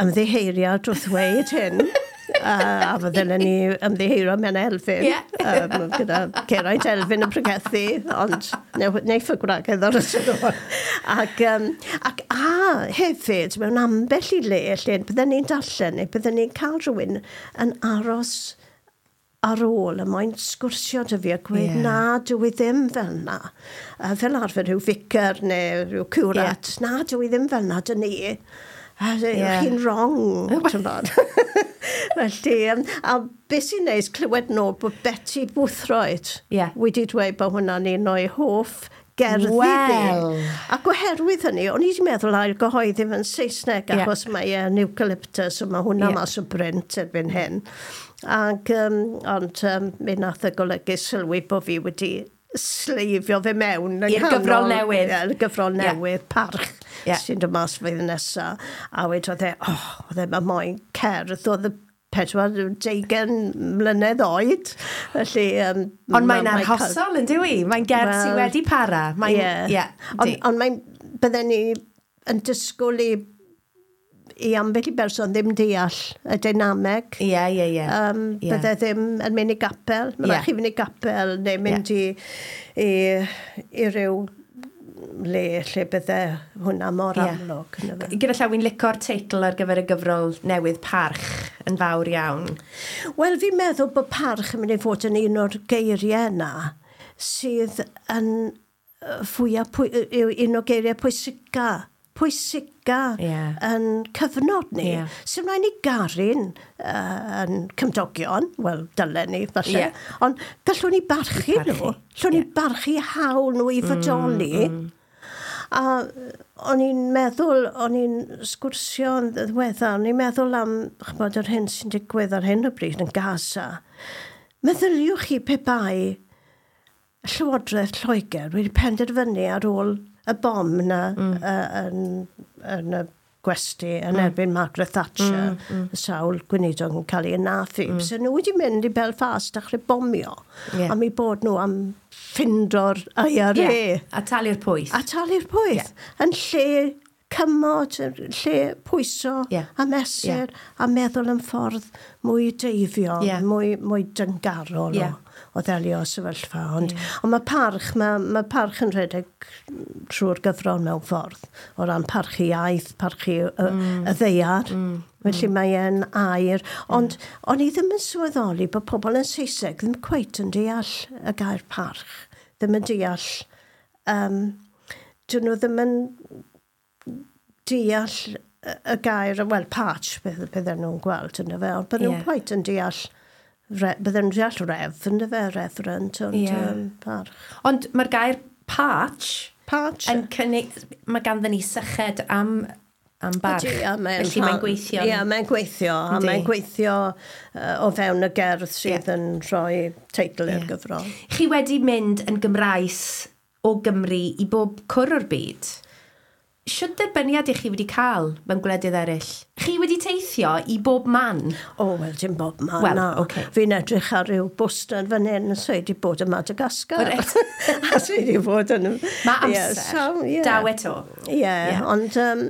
ymddiheiriad wrth ddweud hyn. uh, a fydden ni ymddiheurio mewn Elfyn. Ie. um, gyda Geraint Elfyn yn pregethu, ond neiff y gwragedd ar y sylw. Ac, um, ac a hefyd, mewn ambell i le, lle bydden ni'n darllen, neu bydden ni'n cael rhywun yn aros ar ôl, a mae'n sgwrsio dy fi a gweud, Ie. yeah. na, dwi i ddim fel na. A fel arfer rhyw ficer neu rhyw curat, yeah. na, dwi i ddim fel na, dyn ni. A Ie. yeah. chi'n wrong, ti'n bod. Felly, um, a beth sy'n neis clywed nôl bod Betty Boothroyd Ie. wedi dweud bod hwnna'n un o'i hoff gerddi Wel. fi. Ac oherwydd hynny, o'n i wedi meddwl ail gyhoeddi fe'n Saesneg, Ie. achos mae e'n eucalyptus, a mae hwnna Ie. mas o brint erbyn hyn. Ac, um, ond um, mi nath y golygu sylwi bod fi wedi sleifio fe mewn. yn I'r gyfrol nghanol- newydd. Ie, y gyfrol Ie. newydd, Parch, Ie. sy'n dod mas flwyddyn nesa. A wedi oedd e, oh, oedd e, mae moyn cerdd, oedd y pedwar deugain mlynedd oed. Felly, um, Ond mae'n ma- cael- arhosol yn dyw i? Mae'n gerdd sydd Wel, wedi para. Mae'n, Ie. ie, Ond, di. ond mae'n, bydden ni yn disgwyl i, i ambell i berson ddim deall y dynameg. Ie, ie, ie. Um, Ie. Bydde ddim yn mynd i gapel. Mae Ie. rhaid chi fynd i gapel neu mynd i, i, i ryw le lle bydde hwnna mor Ie. amlwg. yndyfe? Gyda llaw, wi'n lico'r teitl ar gyfer y gyfrol newydd Parch yn fawr iawn. Wel, fi'n meddwl bod parch yn mynd i fod yn un o'r geiriau yna sydd yn yy, fwyaf, pwy, yw un o'r geiriau pwysica, pwysica yeah. yn cyfnod ni. Yeah. Sy'n rhaid ni garu'n uh, yn cymdogion, wel, dylen ni, falle, yeah. ond gallwn ni barchu, barchu. nhw. Gallwn yeah. ni barchu hawl nhw i fodoli. Mm, mm. A o'n i'n meddwl, o'n i'n sgwrsio yn ddiweddar, o'n i'n meddwl am, ch'mod, yr hyn sy'n digwydd ar hyn o bryd yn Gaza. Meddyliwch chi pe bai Llywodraeth Lloegr wedi penderfynu ar ôl y bom na Mm. uh, yn, yn y gwesty yn erbyn Margaret Thatcher, Mm, mm. y sawl gweinidog yn cael ei anafu. Mm. So nhw wedi mynd i Belfast dechrau bomio Ie. am eu bod nhw am ffindo'r I R A. Yeah. A talu'r pwyth. A talu'r pwyth. Ie. Yn lle cymod, yn lle pwyso Ie. a mesur a meddwl yn ffordd mwy deifiol, Ie. mwy, mwy dyngarol Ie. o, o ddelio sefyllfa. Ond, Ie. ond mae parch, mae, mae parch yn rhedeg trwy'r gyfrol mewn ffordd, o ran parchu iaith, parchu y, Mm. y ddaear. Felly mae e'n air. Ond o'n i ddim yn sylweddoli bod pobl yn Saesneg ddim cweit yn deall y gair parch. Ddim yn deall... Um, dyn nhw ddim yn deall y y gair, wel, parch, beth bydden nhw'n gweld yna fe, ond bydden nhw'n Ie. quite yn deall, re, bydden nhw'n deall ref, yna fe, reverend, ond Ie. um, parch. Ond mae'r gair parch Parch. yn cynnig, mae ganddyn ni syched am, am barch. Ydy, a mae'n Felly mae'n rhan- gweithio. Ie, mae'n gweithio, a Yndi. mae'n gweithio uh, o fewn y gerdd sydd Ie. yn rhoi teitl i'r Ie. gyfrol. Chi wedi mynd yn Gymraes o Gymru i bob cwr o'r byd. Shwd derbyniad i chi wedi cael mewn gwledydd eraill? Chi wedi teithio i bob man? O, wel, dim bob man, Wel, na. ocê. Fi'n edrych ar ryw bwster fan hyn, so i wedi bod yn Madagascar. Reit. A so i wedi bod yn... Mae Ie, amser. so, ie. Daw eto. Ie, Ie. ond um,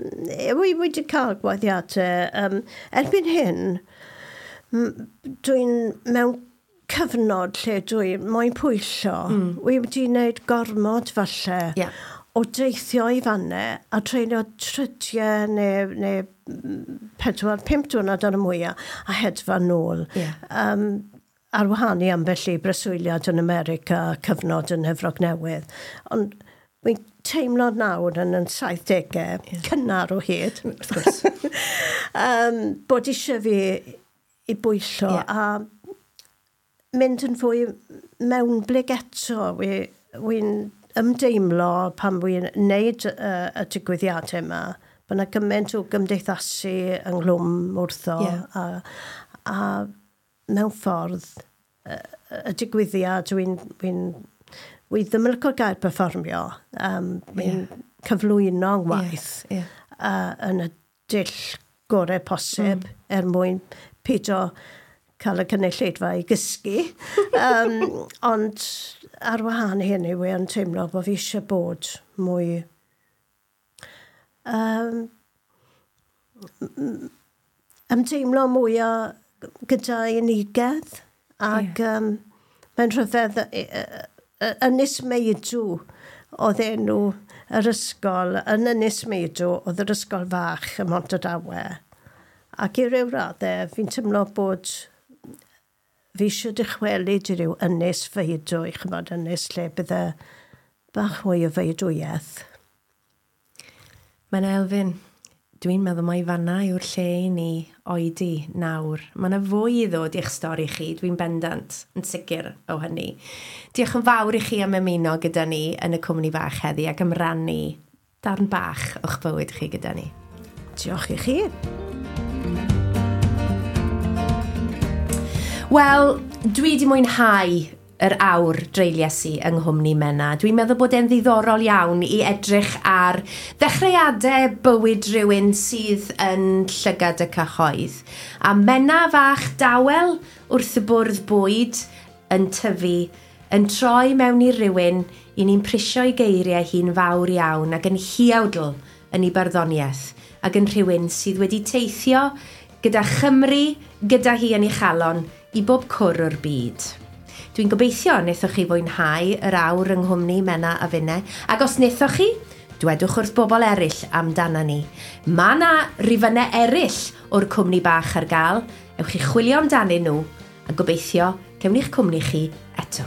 wi wedi cael gwahoddiadau. Um, erbyn hyn, m- dwi'n mewn cyfnod lle dwi moyn pwyllo. Mm. Wi wedi wneud gormod falle Ie. o deithio i fannau a treulio trydiau neu, neu mm, pedwar, pump diwrnod ar y mwyaf a hedfan nôl. Ie. Um, ar wahân i ambell i breswyliad yn America, cyfnod yn Efrog Newydd. Ond wy'n teimlo nawr yn yn saithdegau, yeah. cynnar o hyd, Wrth gwrs. um, bod eisiau fi i bwyllo Ie. a mynd yn fwy mewnblyg eto. Wi, wi'n ymdeimlo pan wi'n neud y, y digwyddiadau yma, bod yna gymaint o gymdeithasu ynghlwm wrtho Ie. a, a mewn ffordd y, y digwyddiad dwi'n wi wi ddim yn licio'r gair perfformio. Um, wi'n Ie. cyflwyno ngwaith Ie, ie. uh, yn y dull gorau posib mm. er mwyn peidio cael y cynulleidfa i gysgu. um, ond ar wahân i hynny, wi yn teimlo bod fi eisiau bod mwy um, ymdeimlo mwy o gyda unigedd ac yeah. um, mae'n rhyfedd y- y- y- Ynys Meidw oedd enw yr ysgol, yn Ynys Meidw oedd yr ysgol fach ym Mhontardawe. Ac i ryw raddau, fi'n teimlo bod fi eisiau dychwelyd i ryw ynys feidwy, chymod, ynys lle bydde bach mwy o feidwyaeth. Mae'n Elfyn, dwi'n meddwl mai fanna yw'r lle i ni oedi nawr. Mae yna fwy i ddod i'ch stori chi, dwi'n bendant yn sicr o hynny. Diolch yn fawr i chi am ymuno gyda ni yn y cwmni bach heddi ac am rannu darn bach o'ch bywyd chi gyda ni. Diolch i chi. Wel, dwi wedi mwynhau yr awr dreulies i yng Nghwmni Menna. Dwi'n meddwl bod e'n ddiddorol iawn i edrych ar ddechreuadau bywyd rhywun sydd yn llygad y cyhoedd. A Menna fach dawel wrth y bwrdd bwyd yn tyfu, yn troi mewn i rywun i ni'n prisio i geiriau hi'n fawr iawn ac yn huawdl yn ei barddoniaeth ac yn rhywun sydd wedi teithio gyda Chymru, gyda hi yn ei chalon, i bob cwr o'r byd. Dwi'n gobeithio wnaethoch chi fwynhau yr awr yng Nghwmni Menna a Finne, ac os wnaethoch chi, dwedwch wrth bobl eraill amdana ni. Mae 'na rifynnau eraill o'r cwmni bach ar gael, ewch chi chwilio amdanyn nhw, a gobeithio cewn ni'ch cwmni chi eto.